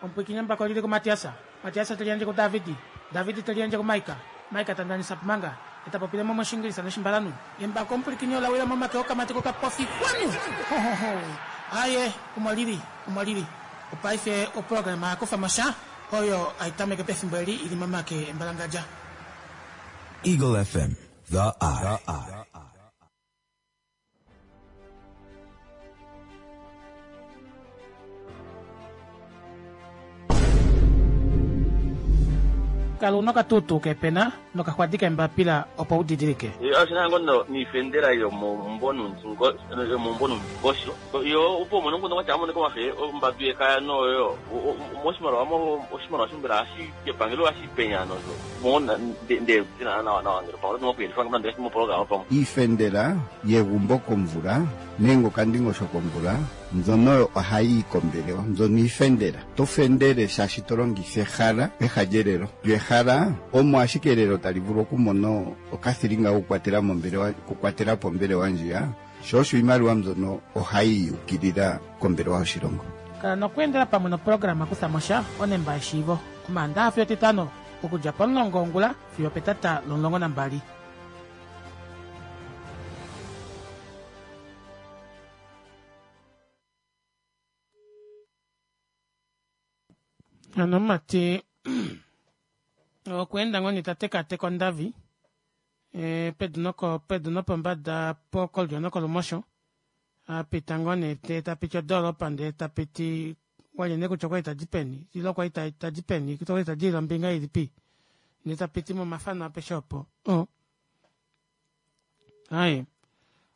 Omupwiikini embako oli li kuMatias, Matias te liyandje kuDavid, David te liyandje kuMaika, Maika ta ndanisa Pumanga, ye ta popile mo mOshingilisa nOshimbalanhu. Embako omupwilikini ola wila momake okamati kokapofi kwanu! Ho, ho, ho! Aaye, omo li li, omo li li. Opaife oprograma ya kufa mo sha oyo hai tameke pefimbo eli i li momake embalangadja. Eagle FM, the eye. Kala una okatuutuu keepena nokaxwadi keembapila opo u didilike. Oshi na ngo niifendela yomombo yo opo umone omukundu gwatya amonike omafe ombadu yekaya noyo moshimaliwa oshimaliwa shombela ohashi epangelo ohashi penya nosho mo nde nawa nawa nawa ngele pamwe oto okuyelifa nande mopologama pamwe. Iifendela yegumbo komvula nenge okandingosho komvula mbyono oyo ohayi yi kombelewa, mbyono iifendela. To fendele shaashi to longitha ehala peha lyelelo. Lyo ehala omo ashike elelo tali vulu okumona okathilinga kokukwatela mombelewa, okukwatela po ombelewa ndjiya. Sho osho iimaliwa mbyono ohayi ukilila kombelewa yoshilongo. Kala nokweendela pamwe noprograma Kutha mo sha, Onemba yeshiivo, Omaandaha fiyo Etitano. Okudja pomulongo wongula fiyo opetata lomulongo nambali. Hano omumati okweenda ngoo nee ta tekaateka ondavi eh, pedu noko pedu nopombada pokolyo nokolumosho a pita ngoo nee ndee ta piti odoolopa ndee ta piti walye nee kutya okwali tadi peni ile okwali tadi peni okwali tadi ile ombinga ilipi ndee ta piti momafano apeshe opo oh. Aye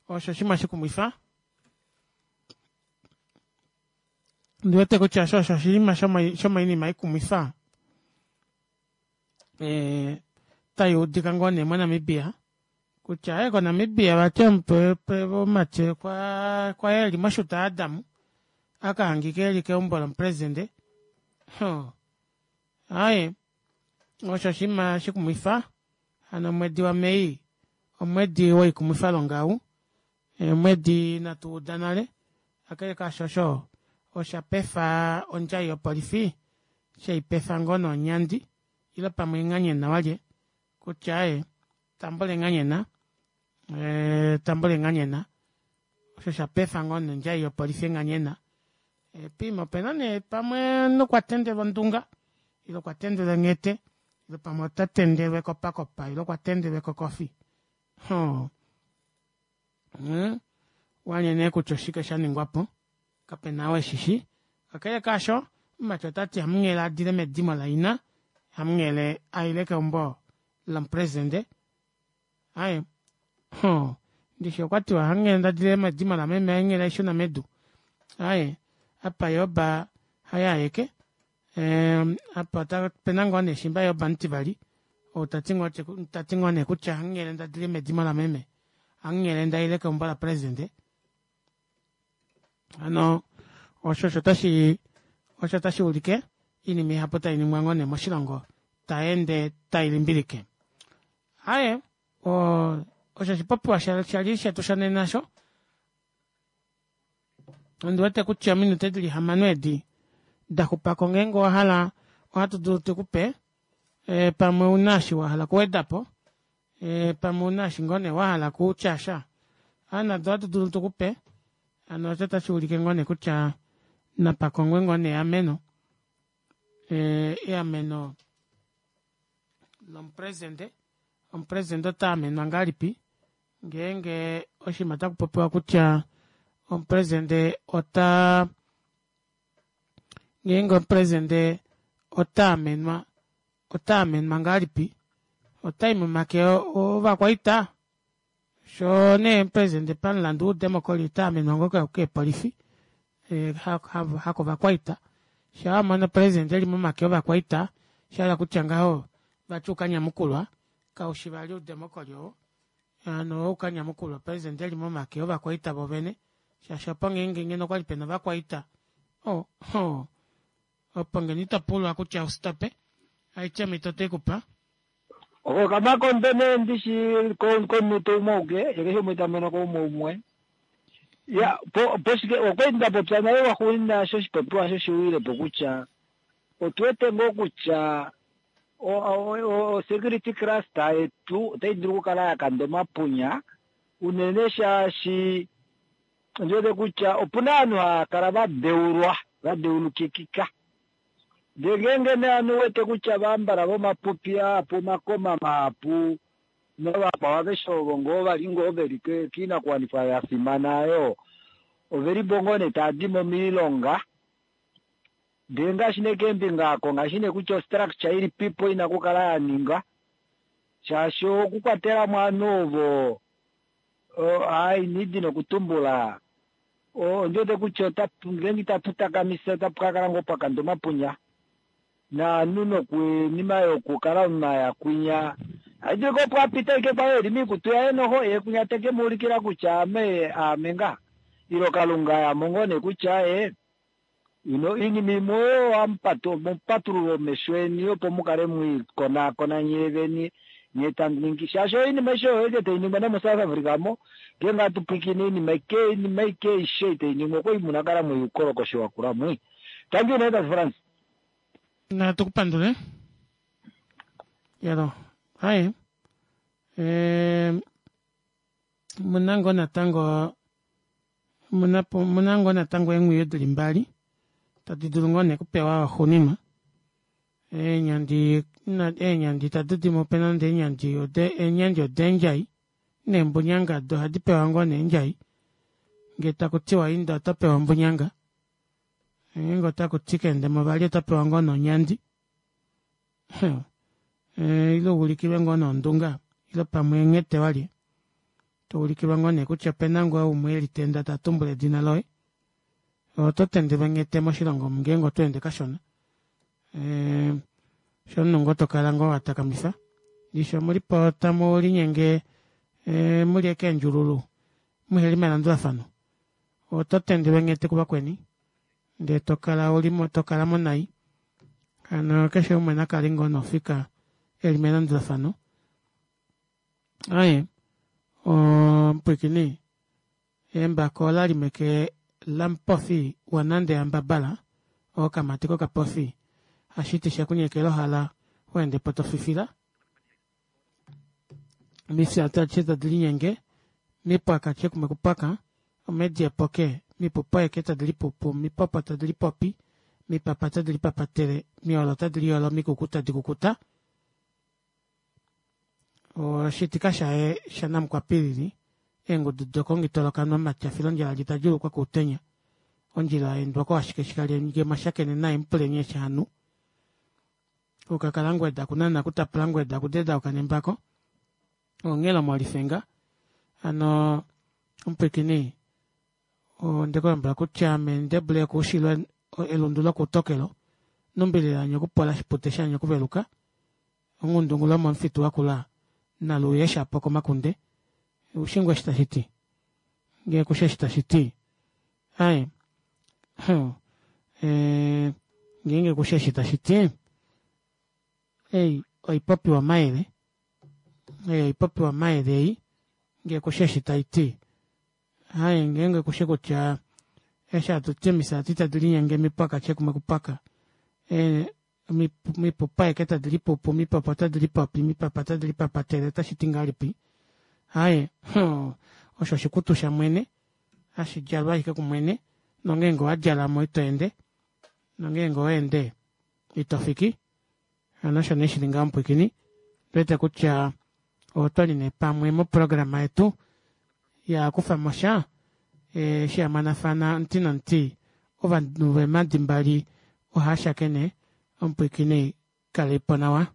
osho oshinima shikumwifa Ondi wete kutya osho osho oshinima shomoinima ikumwifa eh, tai udika ngoo nee moNamibia kutya e koNamibia vati omumati kwa eli moshuta Adam a ka hangika eli keumbo lomupresidente. Aye osho oshinima shikumwifa hano omwedi waMei omwedi woikumwifalonga ou. Eemwedi inatu uda nale, kakele kaasho osho osha pefa ondjai yopolifi shei pefa ngoo noonyandi ile pamwe enghanyena walye kutya aaye tambula enghanyena tambula enghanyena osho sha pefa ngoo nondjai yopolifi enghanyena piima opena nee pamwe nokwa tendelwa ondunga ile okwa tendelwa enghete ile pamwe ota tendelwa ekopakopa ile okwa tendelwa ekokofi hoo Hmm? Walye nee kutya oshike sha ningwa po, kape na ou e shi shi. Kakele kaasho, omumati ota ti hamunghele a dile medimo laina, hamunghele a ile keumbo lomupresidente. Aye, hoo, ndishi okwa tiwa hamunghele nda dile medimo lameme, hainghele aishuna medu. Aye, apa Yoba haye aeke. Ehm, apa ope na ngoo nee shimba Yoba mutivali, ou ta ti ngoo ta ti ngoo nee kutya hamunghele nda dile medimo lameme. Hamunghele nda ile keumbo lapresidente. Hano osho osho tashi osho tashi ulike iinima ihapu tai ningwa ngoo nee moshilongo tai ende tai limbilike. Aye, osho oshipopiwa sha li shetu shonena sho. Ondi wete kutya ominute dili hamano edi da xupako ngeenge owa hala ohatu dulu tu ku pe e, pamwe una eshi wa hala okuweda po e, pamwe una eshi ngoo nee wa hala kutya sha a nado ohatu dulu tu ku pe hano osho tashi ulike ngoo nee kutya napa kongwe ngoo nee eameno e, eameno lomupresidente omupresidente ota amenwa ngahelipi Ngeenge oshinima otaku popiwa kutya omupresidente ota ngeenge omupresidente ota amenwa ota amenwa ngahelipi otai momake ovakwaita sho nee omupresidente pamulandu woudemokoli ota amenwa ngoo keepolifi eh, hakovakwaita sha wa mona omupresidente eli momake ovakwaita sha hala kutya ngaho vati ukanyamukulwa kaushi vali oudemokoli oo Hano oukanyamukulwa president eli momake ovakwaita vovene shaashi opo ngeenge ngeno okwali pena ovakwaita oh, oh, opo ngeno ito pulwa kutya usitope aitye omhito otwe kupa. Oko kamakondo nee ndishi komunute umwe auke ye keshe umwe ta mono ko umwe umwe. Ya po poshike okwali nda popya nale lwaxuuninwa shoshipopiwa shoshiwilepo kutya otu wete ngoo kutya O-security cluster yetu otai dulu okukala ya kanda omapunya unene shaashi ondi wete kutya opu na ovanhu hava kala va deulwa, va deulukikika. Ndee ngeenge nee ovanhu u wete kutya vambala vomapupi ahapu, omakoma mahapu navakwao aveshe ovo ngoo va li ngoo ve li koinakuwanifwa ya fimana oyo, ove li po ngoo nee tava di mo moilonga. Ndele ngaashi nee keembinga oko, ngaashi nee kutya ostructure ilipipo ina okukala ya ningwa, shaashi okukwatela mo ovanhu ovo, hai inidi nokutumbula, ondi wete kutya ota, ngeenge itatu takamisa otapu ka kala ngoo pwa kanda omapunya, naanhu nokuinima yokukala omunhu a ya kwinya, ohashi dulika opo a pita ashike kwali eli moikutu yaye noho, ye kwinya te ke mu ulikila kutya ame, aame ngaha, ilo Kalunga a ya mo ngoo nee kutya ye. Ino oinima imwe oyo ohamu patulula omesho eni opo mu kale mwi konaakona nyee vene nghee tamu ningi shaashi oinima aishe oyo eke tai ningwa nomoSouth Africa mo ngeenge hatu pwilikine oinima ike oinima ike aishe ei tai ningwa okwali muna kala mwi uukolokoshi wakula mwi. Thank you nee Tate Frans. Natu ku pandule. Yalo aye omuna ngoo natango omuna ngoo natango eengwiyu dili mbali tadi dulu ngoo nee okupewa waxuuninwa eenyandi eenyandi itatu dimupe nande eenyandi eenyandi odeendjai neembunyanga do ohadi pewa ngoo nee eendjai ngee takutiwa inda oto pewa ombunyanga ngeenge otakuti keendemo vali oto pewa ngoo nee onyandi ile uulikilwe ngoo nee ondunga ile pamwe enghete walye toulikilwa ngoo nee kutya opena ngoo umwe elitenda ta tumbula edina loye oto tendelwa enghete moshilongo omu ngeenge oto ende kashona sho omunhu ngoo tokala ngoo watakamifa ndishi omulipo tamu linyenge muli ashike eendjululu muheli melandulafano oto tendelwa enghete kuvakweni ndee tokala ulimo tokala mo nai hano keshe umwe nakale ngoo nofika eli melandulafano aye omupwiikini embako olali meke lamupofi wanande yambabala okamati kokapofi hashiti shekunyekela ohala weende po tofifila mifya adishe tadi linyenge mipwaka tye kumwe kupwaka omedi epoke mipupo eke tadi lipupu mipopo tadi lipopi mipapa tadi lipapatele miolo tadi liolo mikuku tadi kukuta oshitika shaye shanamukwapilili eengudu dokongitolokanwa matya filondjala litadjuulukwa kuutenya ondjila yaendwa ashike shikali nge mwashakene naye mupuleni eshi hanu kukakala ngweda kunana kutapula ngweda kudedauka nembako onghelo molifenga hano omupwiikini ondekulombwela kutya ame ndebule kuushilo elundu lokutokelo numbililanye okupola shipute shanye okuveluka onghundungu lomomufitu wakula naluuye shapo komakunde ushingwe eshi tashiti ngee kushe eshi tashiti aye ngeenge kushe eshi tashiti ei oipopiwa mayele ei oipopiwa mayele ei ngee kushe eshi taiti aye ngeenge kushe kutya eshi hatuti omisati tadi linyenge mipwaka tye kumwe kupwaka mipupa eke tadi lipupu mipopo tadi lipopi mipapa tadi lipapatele otashiti ngahelipi aye osho oshikutu shamwene hashi djalwa ashike kumwene nongeenge owadjalamo ito ende nongeenge owaende ito fiki hano osho nee shili ngaho mupwiikini ndiwete kutya otwali nee pamwe moprograma yetu ya kufamo sha eshi yamanafana omuti nomuti ovanhu veemadi mbali ohashakene omupwiikini kaleipo nawa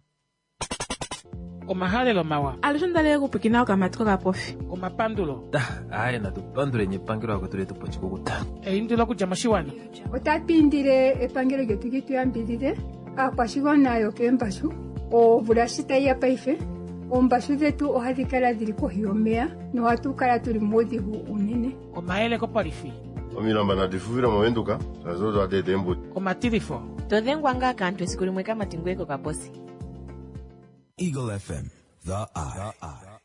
omahalelo mawa alushe ondalele okupwikina okamati kokapofi omapandulo aye natu panduleni epangelo akwetu letu pochikukuta eindilo okudja moshiwana Otatu indile epangelo lyetu li tu yambidhidhe aakwashigwana yokeembashu omvula shi tayi ya paife oombashu dhetu ohadhi kala dhili kohi yomeya nohatu kala tuli muudhigu unene omayele kopolifi Omilamba nadi fufile movenduka shaashi odo hadi eta eembuto. omatilifo Todhengwa ngaa kaantu esiku limwe kamati ngoye kokaposi. Eagle FM, the eye.